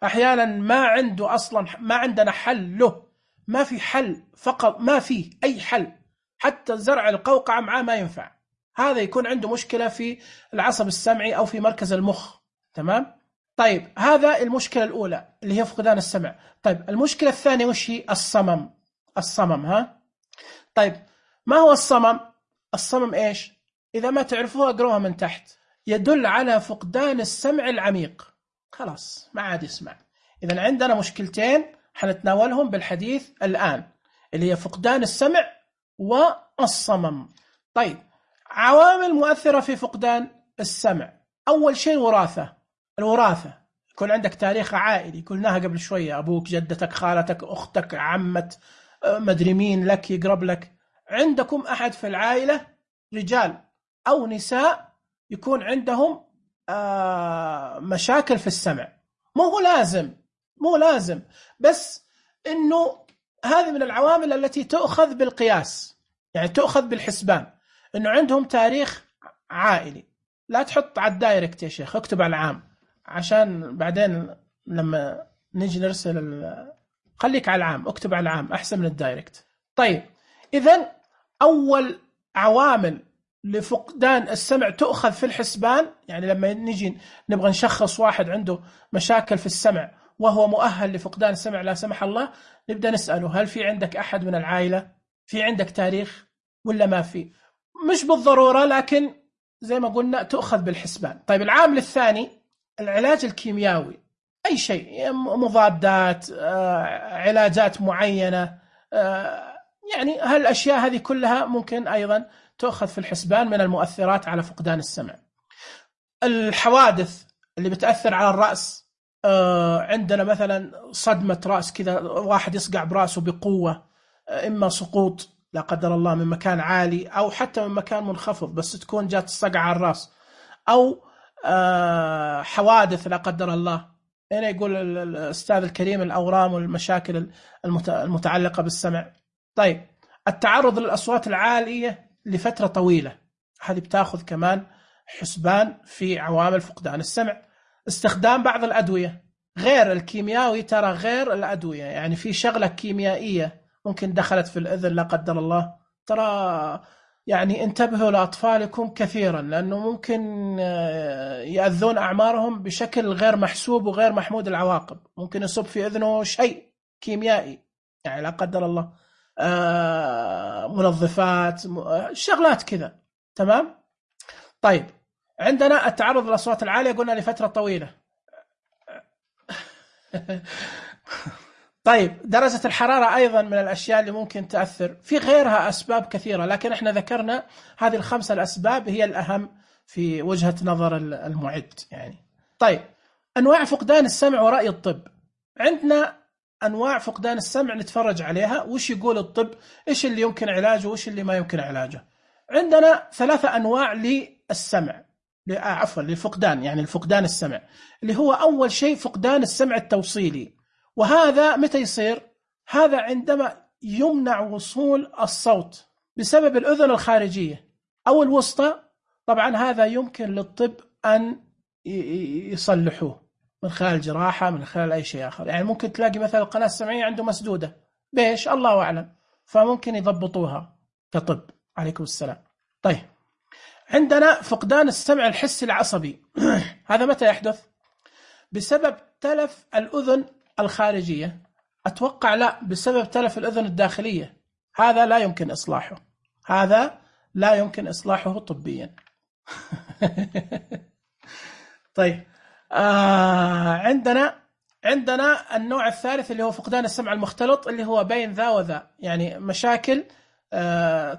أحيانا ما عنده أصلا، ما عندنا حل له، ما في حل، فقط ما في أي حل، حتى زرع القوقعة معاه ما ينفع. هذا يكون عنده مشكلة في العصب السمعي أو في مركز المخ. تمام؟ طيب هذا المشكلة الأولى اللي هي فقدان السمع. طيب المشكلة الثانية وش هي؟ الصمم. ها؟ طيب ما هو الصمم؟ الصمم إيش؟ إذا ما تعرفوها اقروها من تحت. يدل على فقدان السمع العميق، خلاص ما عاد يسمع. إذا عندنا مشكلتين حنتناولهم بالحديث الآن، اللي هي فقدان السمع والصمم. طيب عوامل مؤثرة في فقدان السمع. أول شيء الوراثة. يكون عندك تاريخ عائلي، قلناها قبل شوية، أبوك، جدتك، خالتك، أختك، عمت، مدري مين لك يقرب لك. عندكم أحد في العائلة رجال أو نساء يكون عندهم مشاكل في السمع. مو لازم، بس إنه هذه من العوامل التي تؤخذ بالقياس، يعني تؤخذ بالحسبان، إنه عندهم تاريخ عائلي. لا تحط على الدايركت يا شيخ، اكتب على العام عشان بعدين لما نيجي نرسل خليك على العام، اكتب على العام أحسن من الدايركت. طيب إذن أول عوامل لفقدان السمع تؤخذ في الحسبان، يعني لما نيجي نبغى نشخص واحد عنده مشاكل في السمع وهو مؤهل لفقدان السمع لا سمح الله، نبدأ نسأله هل في عندك أحد من العائلة، في عندك تاريخ ولا ما في؟ مش بالضرورة، لكن زي ما قلنا تؤخذ بالحسبان. طيب العامل الثاني العلاج الكيميائي، أي شيء، مضادات، علاجات معينة، يعني هالأشياء هذه كلها ممكن أيضا تؤخذ في الحسبان من المؤثرات على فقدان السمع. الحوادث اللي بتأثر على الرأس، عندنا مثلا صدمة رأس كذا، واحد يصقع برأسه بقوة، إما سقوط لا قدر الله من مكان عالي أو حتى من مكان منخفض، بس تكون جات الصقعة على الرأس، أو حوادث لا قدر الله. هنا يقول الأستاذ الكريم الأورام والمشاكل المتعلقة بالسمع. طيب التعرض للأصوات العالية لفترة طويلة، هذه بتاخذ كمان حسبان في عوامل فقدان السمع. استخدام بعض الأدوية غير الكيميائي، ترى غير الأدوية، يعني في شغلة كيميائية ممكن دخلت في الأذن لا قدر الله، ترى يعني انتبهوا لأطفالكم كثيرا، لأنه ممكن يأذون أعمارهم بشكل غير محسوب وغير محمود العواقب. ممكن يصب في أذنه شيء كيميائي يعني لا قدر الله، منظفات، شغلات كذا. تمام؟ طيب عندنا التعرض للأصوات العالية قلنا لفترة طويلة. طيب درجة الحرارة أيضا من الأشياء اللي ممكن تأثر، في غيرها أسباب كثيرة، لكن احنا ذكرنا هذه الخمسة الأسباب هي الأهم في وجهة نظر المعد يعني. طيب أنواع فقدان السمع ورأي الطب. عندنا أنواع فقدان السمع نتفرج عليها، وش يقول الطب، إيش اللي يمكن علاجه وإيش اللي ما يمكن علاجه. عندنا 3 أنواع للسمع، عفوا للفقدان، يعني الفقدان السمع، اللي هو أول شيء فقدان السمع التوصيلي. وهذا متى يصير؟ هذا عندما يمنع وصول الصوت بسبب الأذن الخارجية أو الوسطى. طبعا هذا يمكن للطب أن يصلحوه من خلال جراحة، من خلال أي شيء آخر. يعني ممكن تلاقي مثلا القناة السمعية عنده مسدودة، بيش الله أعلم، فممكن يضبطوها كطب. عليكم السلام. طيب عندنا فقدان السمع الحسي العصبي. هذا متى يحدث؟ بسبب تلف الأذن الخارجية. أتوقع لا، بسبب تلف الأذن الداخلية. هذا لا يمكن إصلاحه، هذا لا يمكن إصلاحه طبيا. طيب عندنا النوع الثالث اللي هو فقدان السمع المختلط، اللي هو بين ذا وذا، يعني مشاكل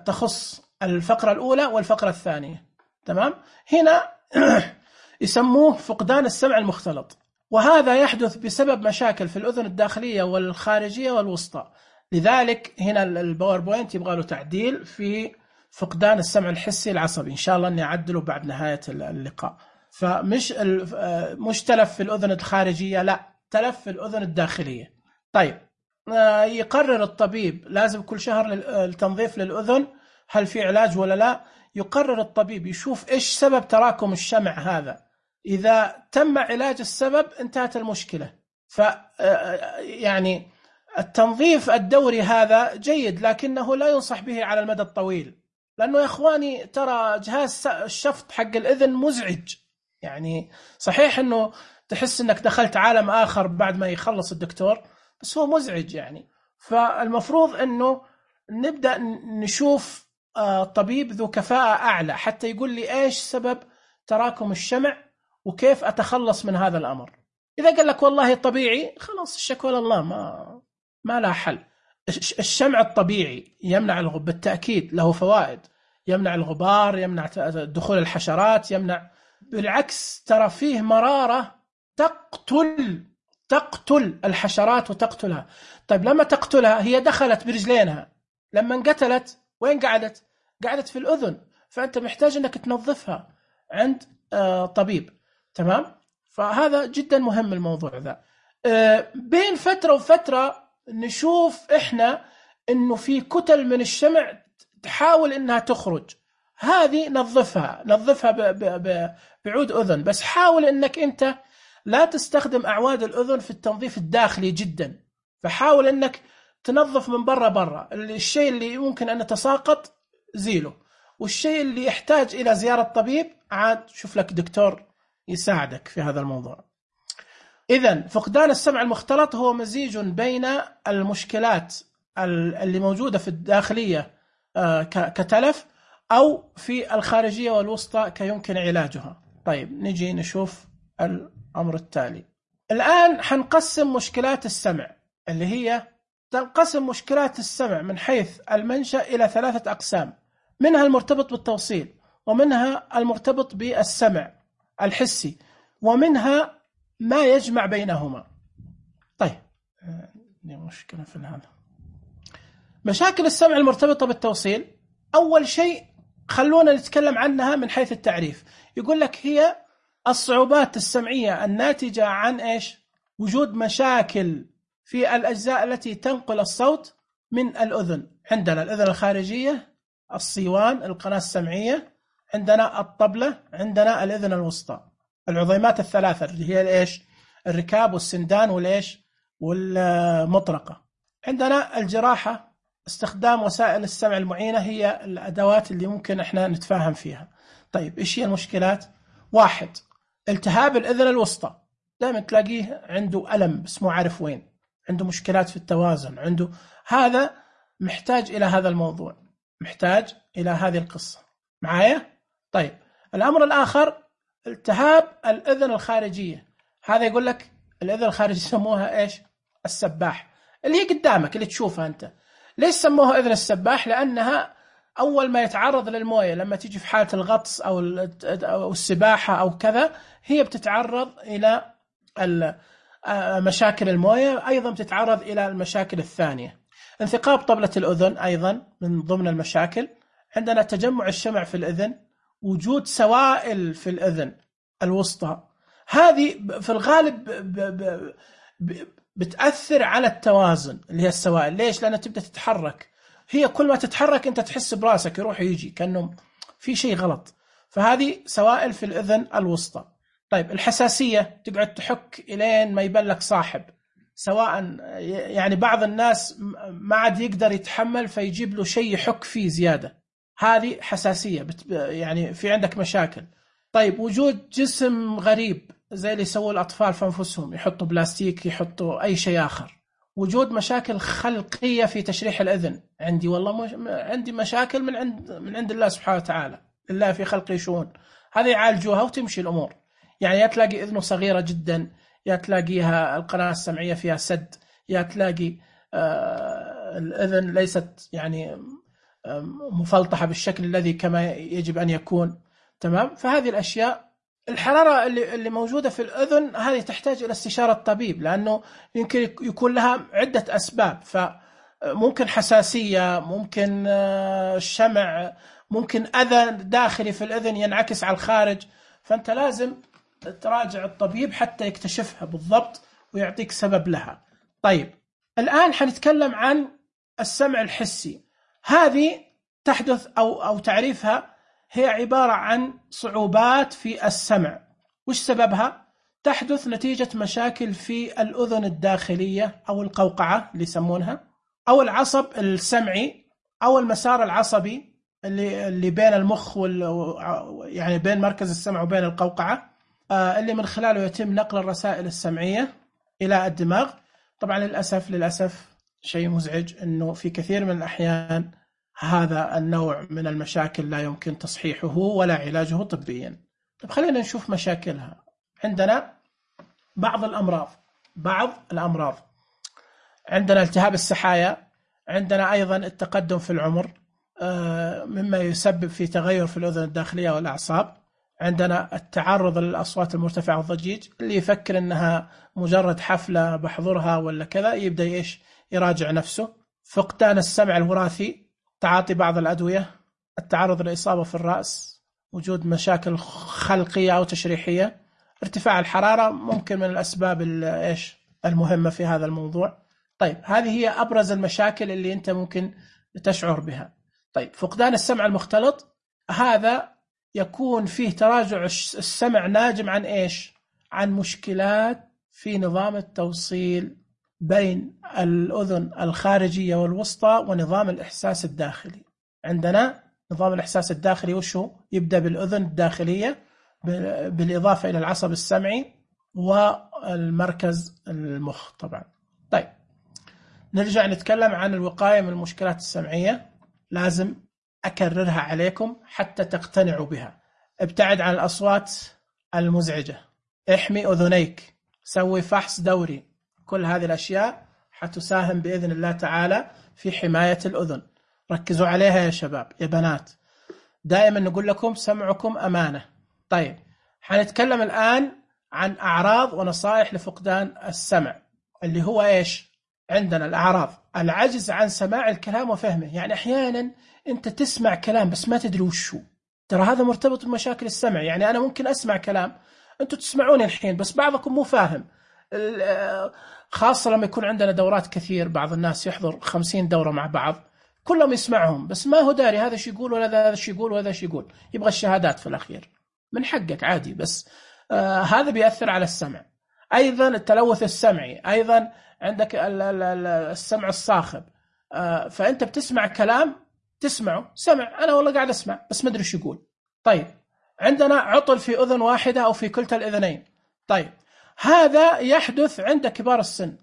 تخص الفقرة الأولى والفقرة الثانية. تمام. هنا يسموه فقدان السمع المختلط، وهذا يحدث بسبب مشاكل في الأذن الداخلية والخارجية والوسطى. لذلك هنا الباوربوينت يبغى له تعديل في فقدان السمع الحسي العصبي، إن شاء الله أني أعدله بعد نهاية اللقاء. فمش مش تلف في الأذن الخارجية، لا، تلف في الأذن الداخلية. طيب، يقرر الطبيب، لازم كل شهر التنظيف للأذن، هل في علاج ولا لا؟ يقرر الطبيب، يشوف إيش سبب تراكم الشمع هذا. إذا تم علاج السبب انتهت المشكلة. يعني التنظيف الدوري هذا جيد، لكنه لا ينصح به على المدى الطويل، لأنه يا إخواني ترى جهاز الشفط حق الأذن مزعج. يعني صحيح أنه تحس أنك دخلت عالم آخر بعد ما يخلص الدكتور، بس هو مزعج يعني. فالمفروض أنه نبدأ نشوف طبيب ذو كفاءة أعلى حتى يقول لي إيش سبب تراكم الشمع وكيف أتخلص من هذا الأمر. إذا قال لك والله طبيعي، خلاص الشكوى لله، ما لا حل. الشمع الطبيعي يمنع بالتأكيد، له فوائد، يمنع الغبار، يمنع دخول الحشرات، يمنع، بالعكس ترى فيه مرارة تقتل الحشرات وتقتلها. طيب لما تقتلها هي دخلت برجلينها، لما انقتلت وين قعدت؟ قعدت في الأذن، فأنت محتاج أنك تنظفها عند طبيب. تمام. فهذا جدا مهم الموضوع ذا. بين فترة وفترة نشوف إحنا إنه في كتل من الشمع تحاول إنها تخرج، هذه نظفها بعود أذن، بس حاول إنك أنت لا تستخدم أعواد الأذن في التنظيف الداخلي جدا، فحاول إنك تنظف من برا. الشيء اللي ممكن أن يتساقط زيله، والشيء اللي يحتاج إلى زيارة طبيب عاد شوف لك دكتور يساعدك في هذا الموضوع. إذن فقدان السمع المختلط هو مزيج بين المشكلات اللي موجودة في الداخلية كتلف، أو في الخارجية والوسطى كيمكن علاجها. طيب نجي نشوف الأمر التالي. الآن حنقسم مشكلات السمع، اللي هي تنقسم مشكلات السمع من حيث المنشأ إلى 3 أقسام، منها المرتبط بالتوصيل، ومنها المرتبط بالسمع الحسي، ومنها ما يجمع بينهما. طيب دي مشكلة في هذا. مشاكل السمع المرتبطة بالتوصيل، أول شيء خلونا نتكلم عنها من حيث التعريف. يقول لك هي الصعوبات السمعية الناتجة عن إيش؟ وجود مشاكل في الأجزاء التي تنقل الصوت من الأذن. عندنا الأذن الخارجية، الصيوان، القناة السمعية، عندنا الطبلة، عندنا الأذن الوسطى، العظيمات الثلاثة اللي هي الإيش؟ الركاب والسندان والإيش؟ والمطرقة. عندنا الجراحة، استخدام وسائل السمع المعينة، هي الأدوات اللي ممكن إحنا نتفاهم فيها. طيب إيش هي المشكلات؟ 1. التهاب الأذن الوسطى، دائما تلاقيه عنده ألم بس مو عارف وين، عنده مشكلات في التوازن، عنده هذا، محتاج إلى هذا الموضوع، محتاج إلى هذه القصة معايا. طيب الأمر الآخر التهاب الأذن الخارجية، هذا يقول لك الأذن الخارجية يسموها إيش؟ السباح، اللي هي قدامك اللي تشوفها أنت. ليش سموها أذن السباح؟ لأنها أول ما يتعرض للموية، لما تيجي في حالة الغطس أو السباحة أو كذا، هي بتتعرض إلى مشاكل الموية، أيضا بتتعرض إلى المشاكل الثانية. انثقاب طبلة الأذن أيضا من ضمن المشاكل. عندنا تجمع الشمع في الأذن، وجود سوائل في الأذن الوسطى، هذه في الغالب بتأثر على التوازن، اللي هي السوائل. ليش؟ لأنها تبدأ تتحرك، هي كل ما تتحرك أنت تحس براسك يروح يجي كأنه في شيء غلط، فهذه سوائل في الأذن الوسطى. طيب الحساسية، تقعد تحك إلين ما يبلك صاحب، سواء يعني بعض الناس ما عاد يقدر يتحمل فيجيب له شيء يحك فيه زيادة، هذه حساسية، يعني في عندك مشاكل. طيب وجود جسم غريب زي اللي يسووا الأطفال في أنفسهم، يحطوا بلاستيك، يحطوا أي شيء آخر. وجود مشاكل خلقية في تشريح الأذن، عندي والله عندي مشاكل من عند الله سبحانه وتعالى، الله في خلقه شؤون، هذه يعالجوها وتمشي الأمور. يعني تلاقي إذنه صغيرة جدا، يا تلاقيها القناة السمعية فيها سد، يا تلاقي الأذن ليست يعني مفلطحة بالشكل الذي كما يجب أن يكون. تمام. فهذه الأشياء، الحرارة اللي موجودة في الأذن هذه تحتاج إلى استشارة الطبيب، لأنه يمكن يكون لها عدة أسباب. فممكن حساسية، ممكن الشمع، ممكن أذى داخلي في الأذن ينعكس على الخارج. فأنت لازم تراجع الطبيب حتى يكتشفها بالضبط ويعطيك سبب لها. طيب الآن حنتكلم عن السمع الحسي. هذه تحدث أو تعريفها هي عبارة عن صعوبات في السمع. وش سببها؟ تحدث نتيجة مشاكل في الأذن الداخلية أو القوقعة اللي يسمونها، أو العصب السمعي، أو المسار العصبي اللي بين المخ يعني بين مركز السمع وبين القوقعة، اللي من خلاله يتم نقل الرسائل السمعية إلى الدماغ. طبعا للأسف شيء مزعج أنه في كثير من الأحيان هذا النوع من المشاكل لا يمكن تصحيحه ولا علاجه طبيا. طب خلينا نشوف مشاكلها. عندنا بعض الأمراض. عندنا التهاب السحايا، عندنا أيضا التقدم في العمر مما يسبب في تغير في الأذن الداخلية والأعصاب. عندنا التعرض للأصوات المرتفعة والضجيج، اللي يفكر أنها مجرد حفلة بحضرها ولا كذا يبدأ يراجع نفسه. فقدان السمع الوراثي، تعاطي بعض الأدوية، التعرض لإصابة في الرأس، وجود مشاكل خلقية أو تشريحية، ارتفاع الحرارة ممكن من الأسباب المهمة في هذا الموضوع. طيب هذه هي أبرز المشاكل اللي أنت ممكن تشعر بها. طيب فقدان السمع المختلط، هذا يكون فيه تراجع السمع ناجم عن عن مشكلات في نظام التوصيل بين الأذن الخارجية والوسطى ونظام الإحساس الداخلي. عندنا نظام الإحساس الداخلي وشو؟ يبدأ بالأذن الداخلية بالإضافة إلى العصب السمعي والمركز المخ طبعا. طيب نرجع نتكلم عن الوقاية من المشكلات السمعية. لازم أكررها عليكم حتى تقتنعوا بها. ابتعد عن الأصوات المزعجة، احمي أذنيك، سوي فحص دوري. كل هذه الأشياء حتساهم بإذن الله تعالى في حماية الأذن. ركزوا عليها يا شباب يا بنات. دائما نقول لكم سمعكم أمانة. طيب حنتكلم الآن عن أعراض ونصائح لفقدان السمع، اللي هو عندنا الأعراض: العجز عن سماع الكلام وفهمه. يعني أحيانا أنت تسمع كلام بس ما تدري وشو. ترى هذا مرتبط بمشاكل السمع. يعني أنا ممكن أسمع كلام، أنتوا تسمعوني الحين بس بعضكم مو فاهم، خاصة لما يكون عندنا دورات كثير. بعض الناس يحضر 50 دورة مع بعض، كلهم يسمعهم بس ما هو داري هذا شو يقول ولا هذا شو يقول وهذا شو يقول. يبغى الشهادات في الأخير. من حقك عادي، بس هذا بيأثر على السمع. أيضا التلوث السمعي، أيضا عندك السمع الصاخب. فأنت بتسمع كلام، تسمعه سمع، أنا والله قاعد أسمع بس ما أدري شو يقول. طيب عندنا عطل في أذن واحدة أو في كلتا الأذنين. طيب هذا يحدث عند كبار السن.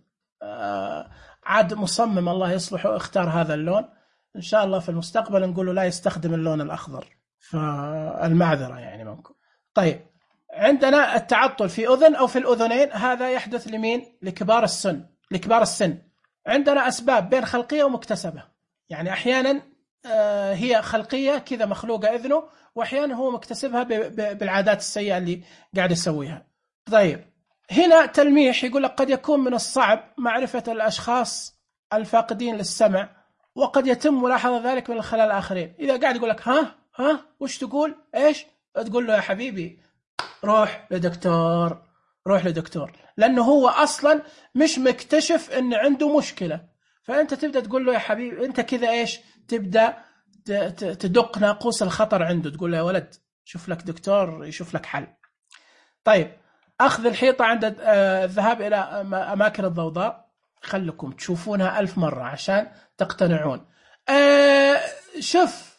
عاد مصمم الله يصلحه اختار هذا اللون، إن شاء الله في المستقبل نقول له لا يستخدم اللون الأخضر، فالمعذرة يعني منكم. طيب عندنا التعطل في أذن أو في الأذنين، هذا يحدث لمين؟ لكبار السن. عندنا أسباب بين خلقية ومكتسبة. يعني أحيانا هي خلقية كذا مخلوقة إذنه، وأحيانا هو مكتسبها بالعادات السيئة اللي قاعد يسويها. طيب هنا تلميح يقول لك قد يكون من الصعب معرفة الأشخاص الفاقدين للسمع، وقد يتم ملاحظة ذلك من الخلال الآخرين. إذا قاعد يقول لك ها وش تقول تقول له يا حبيبي روح لدكتور، لأنه هو أصلا مش مكتشف أن عنده مشكلة. فأنت تبدأ تقول له يا حبيبي أنت كذا تبدأ تدق ناقوس الخطر عنده، تقول له يا ولد شوف لك دكتور يشوف لك حل. طيب أخذ الحيطة عند الذهاب إلى أماكن الضوضاء، خلكم تشوفونها 1000 مرة عشان تقتنعون. شوف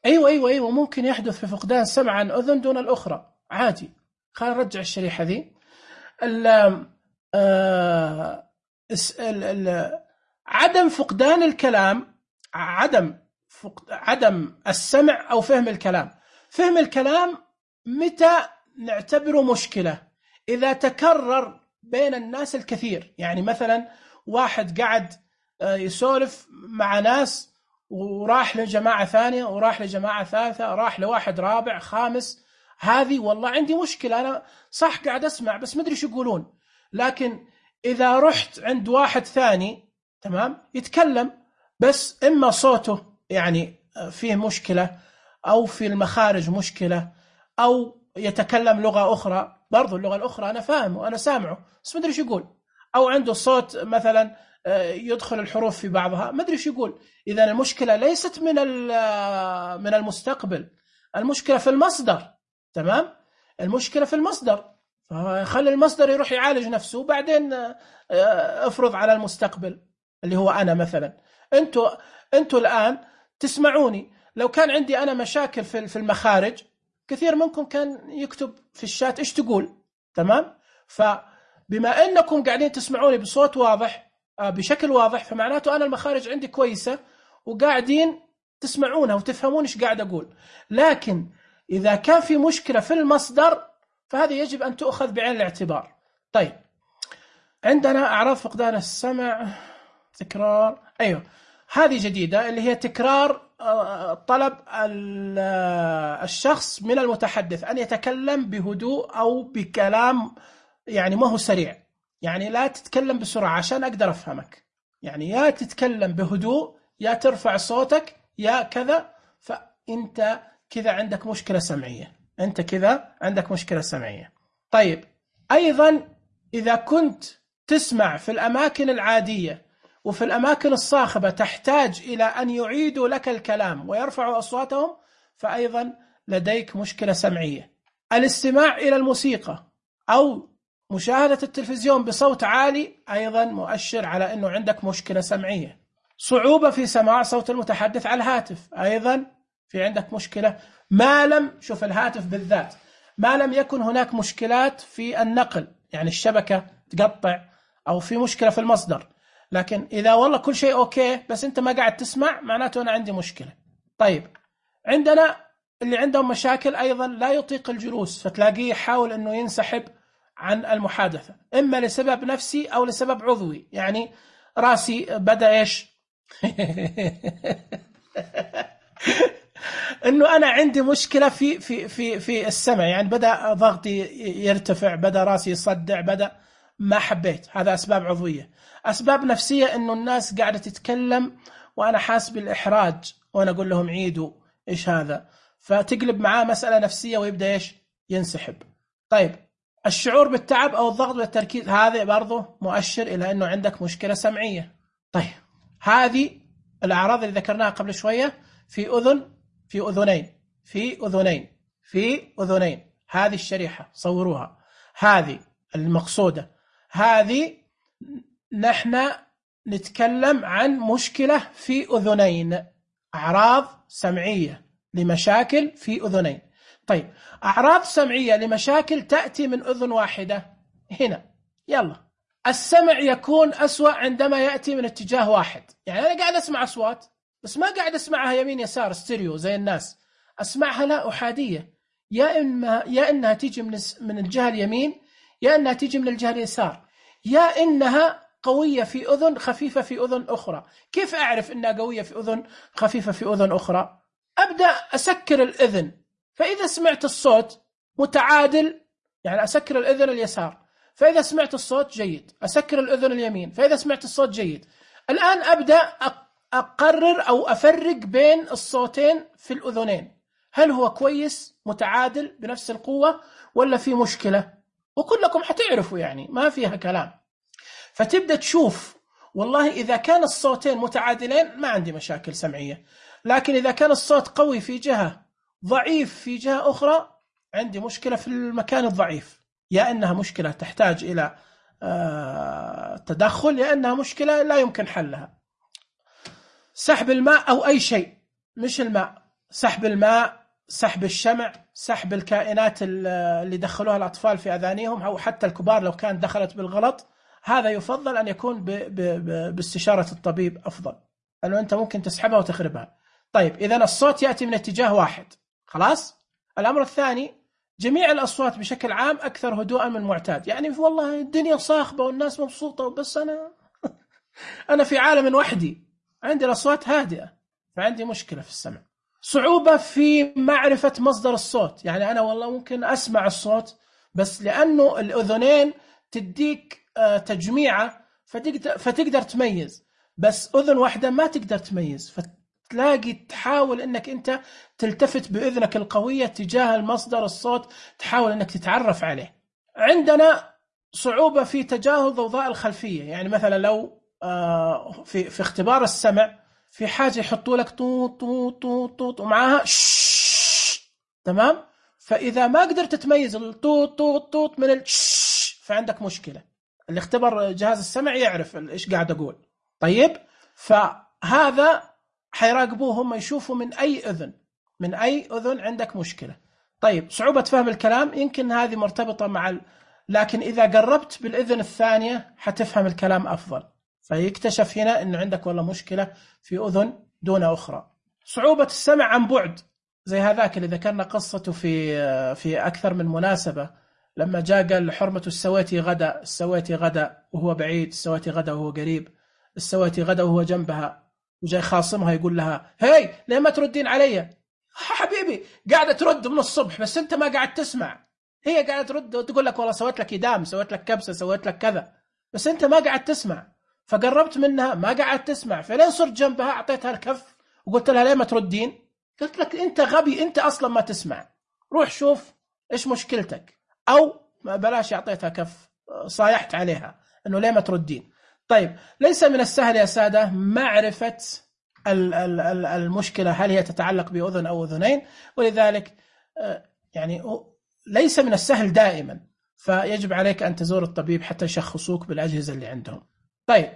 أيوة ممكن يحدث في فقدان سمع عن أذن دون الأخرى عادي. خلينا نرجع الشريحة ذي. عدم فقدان الكلام، عدم السمع أو فهم الكلام. فهم الكلام متى نعتبره مشكلة؟ إذا تكرر بين الناس الكثير، يعني مثلا واحد قاعد يسولف مع ناس وراح لجماعة ثانية وراح لجماعة ثالثة، راح لواحد رابع خامس، هذه والله عندي مشكلة، أنا صح قاعد أسمع بس مدري شو يقولون. لكن إذا رحت عند واحد ثاني تمام يتكلم بس إما صوته يعني فيه مشكلة أو في المخارج مشكلة أو يتكلم لغة أخرى، برضو اللغة الأخرى أنا فاهمه وأنا سامعه بس مدري شو يقول، أو عنده صوت مثلا يدخل الحروف في بعضها مدري شو يقول. إذا المشكلة ليست من المستقبل، المشكلة في المصدر. تمام، المشكلة في المصدر، فخلي المصدر يروح يعالج نفسه وبعدين افرض على المستقبل اللي هو أنا مثلا. أنتوا الآن تسمعوني، لو كان عندي أنا مشاكل في المخارج كثير منكم كان يكتب في الشات إيش تقول. تمام، فبما أنكم قاعدين تسمعوني بصوت واضح بشكل واضح فمعناته أنا المخارج عندي كويسة وقاعدين تسمعونها وتفهمون إيش قاعد أقول. لكن إذا كان في مشكلة في المصدر فهذه يجب أن تؤخذ بعين الاعتبار. طيب، عندنا أعراض فقدان السمع، تكرار، أيوه هذه جديدة اللي هي تكرار طلب الشخص من المتحدث أن يتكلم بهدوء أو بكلام يعني ما هو سريع، يعني لا تتكلم بسرعة عشان أقدر أفهمك، يعني يا تتكلم بهدوء يا ترفع صوتك يا كذا، فأنت كذا عندك مشكلة سمعية، أنت كذا عندك مشكلة سمعية. طيب، أيضا إذا كنت تسمع في الأماكن العادية وفي الأماكن الصاخبة تحتاج إلى أن يعيدوا لك الكلام ويرفعوا أصواتهم فأيضا لديك مشكلة سمعية. الاستماع إلى الموسيقى أو مشاهدة التلفزيون بصوت عالي أيضا مؤشر على أنه عندك مشكلة سمعية. صعوبة في سماع صوت المتحدث على الهاتف أيضا في عندك مشكلة، ما لم شوف الهاتف بالذات ما لم يكن هناك مشكلات في النقل، يعني الشبكة تقطع أو في مشكلة في المصدر. لكن إذا والله كل شيء أوكي بس أنت ما قاعد تسمع معناته أنا عندي مشكلة. طيب، عندنا اللي عندهم مشاكل أيضا لا يطيق الجلوس، فتلاقيه يحاول أنه ينسحب عن المحادثة إما لسبب نفسي أو لسبب عضوي، يعني راسي بدأ إيش إنه أنا عندي مشكلة في السمع، يعني بدأ ضغطي يرتفع، بدأ راسي يصدع، بدأ ما حبيت. هذا أسباب عضوية. أسباب نفسية إنه الناس قاعدة تتكلم وأنا حاس بالإحراج وأنا أقول لهم عيدوا إيش هذا، فتقلب معاه مسألة نفسية ويبدأ إيش ينسحب. طيب، الشعور بالتعب أو الضغط والتركيز هذا برضه مؤشر إلى إنه عندك مشكلة سمعية. طيب، هذه الأعراض اللي ذكرناها قبل شوية في أذن، في أذنين، في أذنين، في أذنين، هذه الشريحة صوروها، هذه المقصودة، هذه نحن نتكلم عن مشكلة في أذنين، أعراض سمعية لمشاكل في أذنين. طيب، أعراض سمعية لمشاكل تأتي من أذن واحدة هنا، يلا السمع يكون أسوأ عندما يأتي من اتجاه واحد، يعني أنا قاعد أسمع أصوات بس ما قاعد أسمعها يمين يسار ستيريو زي الناس، أسمعها لا أحادية، يا إنها تيجي من الجهة اليمين يا إنها تيجي من الجهة اليسار، يا إنها قوية في أذن خفيفة في أذن أخرى. كيف أعرف إنها قوية في أذن خفيفة في أذن أخرى؟ أبدأ أسكر الأذن، فإذا سمعت الصوت متعادل يعني أسكر الأذن اليسار، فإذا سمعت الصوت جيد أسكر الأذن اليمين، فإذا سمعت الصوت جيد. الآن أبدأ أقرر أو أفرق بين الصوتين في الأذنين، هل هو كويس متعادل بنفس القوة ولا في مشكلة؟ وكلكم حتعرفوا يعني ما فيها كلام. فتبدأ تشوف والله إذا كان الصوتين متعادلين ما عندي مشاكل سمعية، لكن إذا كان الصوت قوي في جهة ضعيف في جهة أخرى عندي مشكلة في المكان الضعيف، يا إنها مشكلة تحتاج إلى تدخل يا إنها مشكلة لا يمكن حلها. سحب الماء أو أي شيء مش الماء، سحب الماء، سحب الشمع، سحب الكائنات اللي دخلوها الأطفال في أذانيهم أو حتى الكبار لو كانت دخلت بالغلط، هذا يفضل أن يكون باستشارة الطبيب أفضل، لأنه أنت ممكن تسحبها وتخربها. طيب، إذن الصوت يأتي من اتجاه واحد، خلاص. الأمر الثاني جميع الأصوات بشكل عام أكثر هدوءا من المعتاد. يعني والله الدنيا صاخبة والناس مبسوطة، بس أنا في عالم وحدي، عندي الأصوات هادئة، فعندي مشكلة في السمع. صعوبة في معرفة مصدر الصوت، يعني أنا والله ممكن أسمع الصوت، بس لأنه الأذنين تديك تجميعة فتقدر تميز، بس أذن واحدة ما تقدر تميز، فتلاقي تحاول أنك أنت تلتفت بأذنك القوية تجاه المصدر الصوت، تحاول أنك تتعرف عليه. عندنا صعوبة في تجاهل ضوضاء الخلفية، يعني مثلا لو في اختبار السمع في حاجة يحطوا لك طوط طوط طوط طوط ومعاها تمام، فإذا ما قدرت تميز الطوط طوط طوط من فعندك مشكلة. اللي اختبر جهاز السمع يعرف إيش قاعد أقول. طيب، فهذا حيراقبوه هم، يشوفوا من أي أذن عندك مشكلة. طيب، صعوبة فهم الكلام يمكن هذه مرتبطة مع لكن إذا قربت بالأذن الثانية حتفهم الكلام أفضل، فيكتشف هنا إنه عندك والله مشكلة في أذن دون أخرى. صعوبة السمع عن بعد، زي هذاك اللي ذكرنا قصته في أكثر من مناسبة، لما جاء قال حرمة السواتي غدا، السواتي غدا وهو بعيد، السواتي غدا وهو قريب، السواتي غدا وهو جنبها، وجاي خاصمها يقول لها هاي ليه ما تردين علي؟ حبيبي قاعدة ترد من الصبح بس أنت ما قاعد تسمع، هي قاعدة ترد وتقول لك والله سويت لك إدام، سويت لك كبسة، سويت لك كذا، بس أنت ما قاعد تسمع. فقربت منها ما قاعد تسمع، فلين صرت جنبها أعطيتها الكف وقلت لها ليه ما تردين؟ قلت لك أنت غبي، أنت أصلا ما تسمع، روح شوف إيش مشكلتك. أو ما بلاش، أعطيتها كف، صايحت عليها إنه ليه ما تردين. طيب، ليس من السهل يا سادة معرفة المشكلة هل هي تتعلق بأذن أو أذنين، ولذلك يعني ليس من السهل دائما، فيجب عليك أن تزور الطبيب حتى يشخصوك بالأجهزة اللي عندهم. طيب،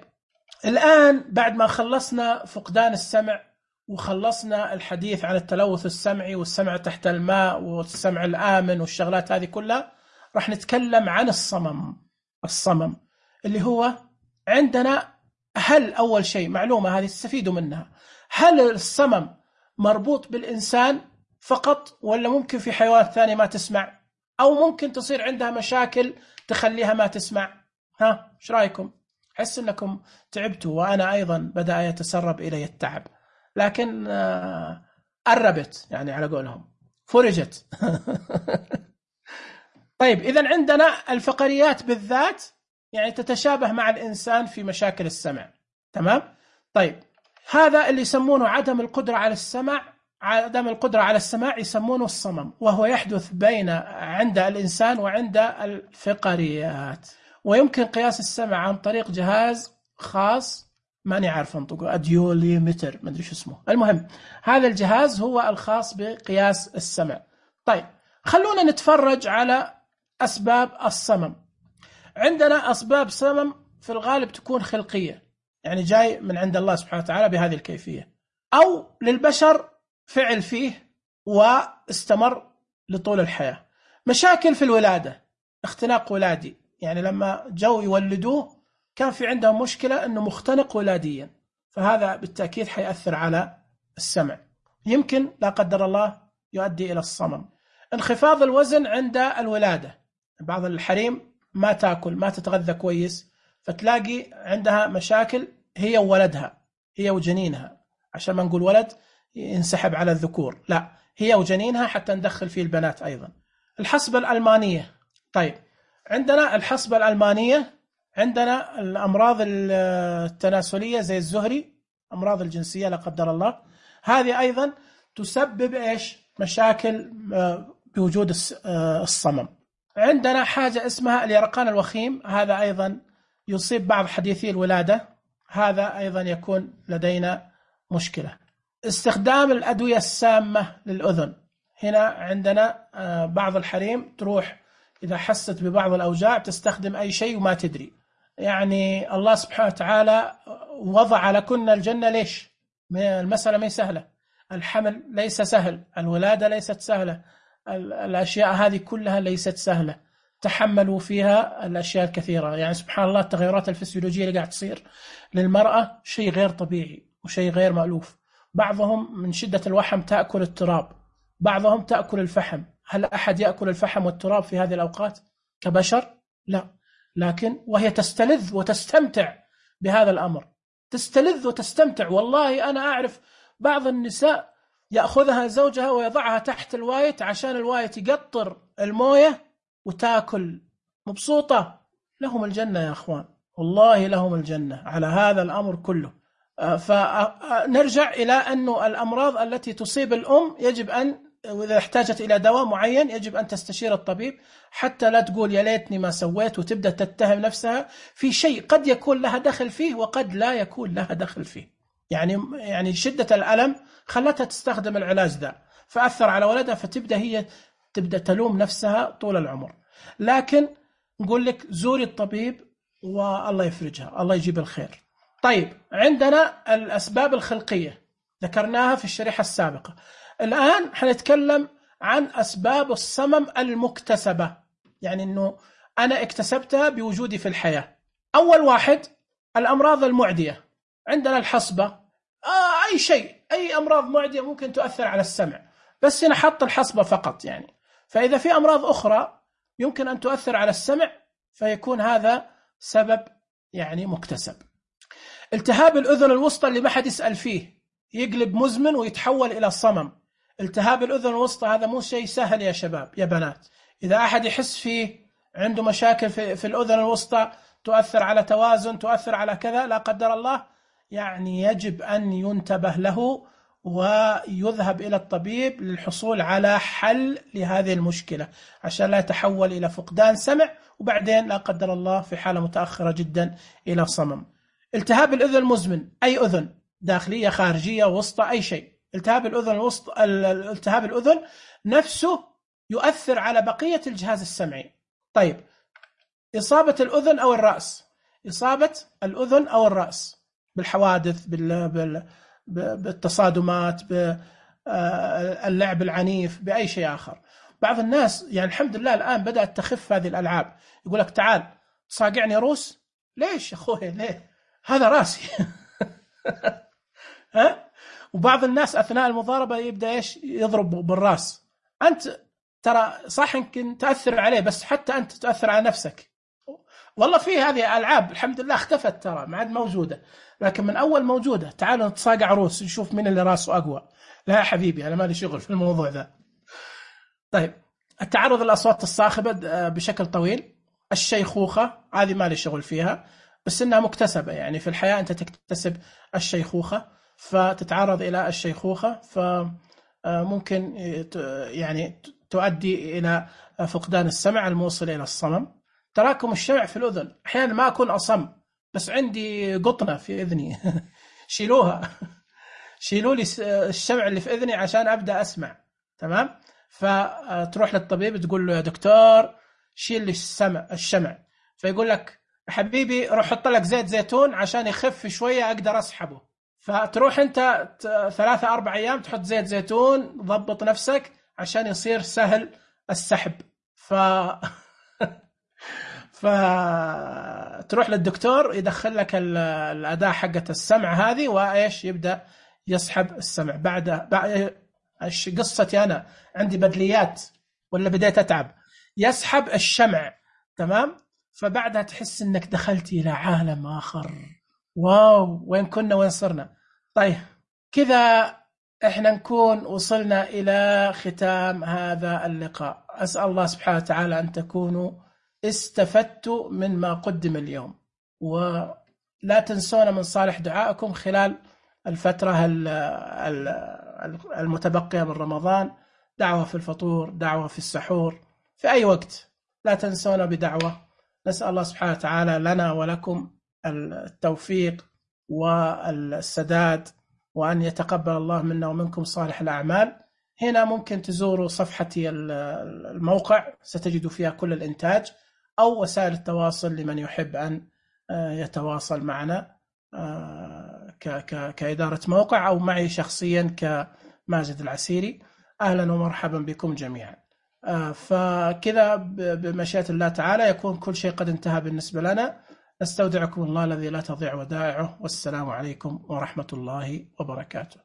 الآن بعد ما خلصنا فقدان السمع وخلصنا الحديث عن التلوث السمعي والسمع تحت الماء والسمع الآمن والشغلات هذه كلها، راح نتكلم عن الصمم اللي هو عندنا. هل أول شيء معلومة هذه تستفيدوا منها، هل الصمم مربوط بالإنسان فقط ولا ممكن في حيوانات ثانية ما تسمع، أو ممكن تصير عندها مشاكل تخليها ما تسمع؟ إيش رأيكم؟ حس أنكم تعبتوا وأنا أيضا بدأ يتسرب إلي التعب، لكن قربت يعني على قولهم فرجت. طيب، إذن عندنا الفقريات بالذات يعني تتشابه مع الإنسان في مشاكل السمع، تمام؟ طيب، هذا اللي يسمونه عدم القدرة على السماع يسمونه الصمم، وهو يحدث عند الإنسان وعند الفقريات. ويمكن قياس السمع عن طريق جهاز خاص، ماني عارف انطقه، أديوليمتر، ما أدري شو اسمه، المهم هذا الجهاز هو الخاص بقياس السمع. طيب، خلونا نتفرج على أسباب الصمم. عندنا أسباب صمم في الغالب تكون خلقية، يعني جاي من عند الله سبحانه وتعالى بهذه الكيفية، أو للبشر فعل فيه واستمر لطول الحياة. مشاكل في الولادة، اختناق ولادي، يعني لما جو يولدوه كان في عندهم مشكلة أنه مختنق ولاديا، فهذا بالتأكيد حيأثر على السمع، يمكن لا قدر الله يؤدي إلى الصمم. انخفاض الوزن عند الولادة، بعض الحريم ما تأكل ما تتغذى كويس، فتلاقي عندها مشاكل هي وولدها، هي وجنينها، عشان ما نقول ولد ينسحب على الذكور، لا، هي وجنينها حتى ندخل فيه البنات أيضا. الحصبة الألمانية، طيب عندنا الحصبة الألمانية، عندنا الأمراض التناسلية زي الزهري، أمراض الجنسية لا قدر الله، هذه أيضا تسبب إيش؟ مشاكل بوجود الصمم. عندنا حاجة اسمها اليرقان الوخيم، هذا أيضا يصيب بعض حديثي الولادة، هذا أيضا يكون لدينا مشكلة. استخدام الأدوية السامة للأذن، هنا عندنا بعض الحريم تروح إذا حست ببعض الأوجاع تستخدم أي شيء وما تدري، يعني الله سبحانه وتعالى وضع لكن الجنة، ليش؟ المسألة ما سهلة، الحمل ليس سهل، الولادة ليست سهلة، الأشياء هذه كلها ليست سهلة، تحملوا فيها الأشياء الكثيرة، يعني سبحان الله التغيرات الفسيولوجية اللي قاعد تصير للمرأة شيء غير طبيعي وشيء غير مألوف. بعضهم من شدة الوحم تأكل التراب، بعضهم تأكل الفحم، هل أحد يأكل الفحم والتراب في هذه الأوقات كبشر؟ لا، لكن وهي تستلذ وتستمتع بهذا الأمر، تستلذ وتستمتع. والله أنا أعرف بعض النساء يأخذها زوجها ويضعها تحت الوايت عشان الوايت يقطر الموية وتأكل مبسوطة. لهم الجنة يا أخوان، والله لهم الجنة على هذا الأمر كله. فنرجع إلى أنه الأمراض التي تصيب الأم يجب أن، وإذا احتاجت إلى دواء معين يجب أن تستشير الطبيب، حتى لا تقول يا ليتني ما سويت وتبدأ تتهم نفسها في شيء قد يكون لها دخل فيه وقد لا يكون لها دخل فيه. يعني شدة الألم خلتها تستخدم العلاج ذا فأثر على ولدها، فتبدأ هي تلوم نفسها طول العمر. لكن نقول لك زوري الطبيب والله يفرجها، الله يجيب الخير. طيب، عندنا الأسباب الخلقية ذكرناها في الشريحة السابقة. الآن حنتكلم عن أسباب الصمم المكتسبة، يعني أنه أنا اكتسبتها بوجودي في الحياة. أول واحد الأمراض المعدية. عندنا الحصبة، أي شيء، أي أمراض معدية ممكن تؤثر على السمع، بس هنا حط الحصبة فقط يعني. فإذا في أمراض أخرى يمكن أن تؤثر على السمع فيكون هذا سبب يعني مكتسب. التهاب الأذن الوسطى اللي ما حد يسأل فيه يقلب مزمن ويتحول إلى صمم. التهاب الأذن الوسطى هذا مو شيء سهل يا شباب يا بنات. إذا أحد يحس فيه عنده مشاكل في الأذن الوسطى تؤثر على توازن، تؤثر على كذا لا قدر الله، يعني يجب أن ينتبه له ويذهب إلى الطبيب للحصول على حل لهذه المشكلة عشان لا يتحول إلى فقدان سمع وبعدين لا قدر الله في حالة متأخرة جدا إلى صمم. التهاب الأذن المزمن، أي أذن داخلية خارجية وسطى أي شيء، التهاب الأذن الوسطى، التهاب الأذن نفسه يؤثر على بقية الجهاز السمعي. طيب، إصابة الأذن أو الرأس، إصابة الأذن أو الرأس بالحوادث، بالتصادمات، باللعب العنيف، بأي شيء آخر. بعض الناس يعني الحمد لله الآن بدأت تخف هذه الألعاب، يقول لك تعال تصاقعني روس، ليش يا أخوي ليه؟ هذا راسي. ها؟ وبعض الناس أثناء المضاربة يبدأ إيش يضرب بالرأس. أنت ترى صح يمكن تأثر عليه بس حتى أنت تؤثر على نفسك. والله في هذه ألعاب الحمد لله اختفت، ترى ما عاد موجودة، لكن من أول موجودة. تعالوا نتصاقع روس نشوف مين اللي راسه أقوى. لا يا حبيبي أنا ما لي شغل في الموضوع ذا. طيب، التعرض للأصوات الصاخبة بشكل طويل. الشيخوخة هذه ما لي شغل فيها بس إنها مكتسبة، يعني في الحياة أنت تكتسب الشيخوخة فتتعرض إلى الشيخوخة، فممكن يعني تؤدي إلى فقدان السمع الموصل إلى الصمم. تراكم الشمع في الأذن، أحيانا ما أكون أصم بس عندي قطنة في إذني. شيلوها، شيلوا لي الشمع اللي في إذني عشان أبدأ أسمع. تمام؟ فتروح للطبيب تقول له يا دكتور شيل لي الشمع، فيقول لك حبيبي روح حط لك زيت زيتون عشان يخف شوية أقدر أسحبه. فتروح أنت 3-4 أيام تحط زيت زيتون، ضبط نفسك عشان يصير سهل السحب. فتروح للدكتور يدخل لك الأداة حقة السمع هذه وإيش يبدأ يسحب السمع. بعد قصتي أنا عندي بدليات ولا بديت أتعب، يسحب الشمع. تمام؟ فبعدها تحس إنك دخلت إلى عالم آخر. واو، وين كنا وين صرنا. طيب كذا إحنا نكون وصلنا إلى ختام هذا اللقاء. أسأل الله سبحانه وتعالى أن تكونوا استفدتوا من ما قدم اليوم، ولا تنسونا من صالح دعائكم خلال الفترة المتبقية من رمضان. دعوة في الفطور، دعوة في السحور، في أي وقت لا تنسونا بدعوة. نسأل الله سبحانه وتعالى لنا ولكم التوفيق والسداد، وأن يتقبل الله منا ومنكم صالح الأعمال. هنا ممكن تزوروا صفحتي الموقع، ستجدوا فيها كل الإنتاج، أو وسائل التواصل لمن يحب أن يتواصل معنا كإدارة موقع أو معي شخصيا كماجد العسيري. أهلا ومرحبا بكم جميعا. فكذا بمشيئة الله تعالى يكون كل شيء قد انتهى بالنسبة لنا. نستودعكم الله الذي لا تضيع ودائعه، والسلام عليكم ورحمة الله وبركاته.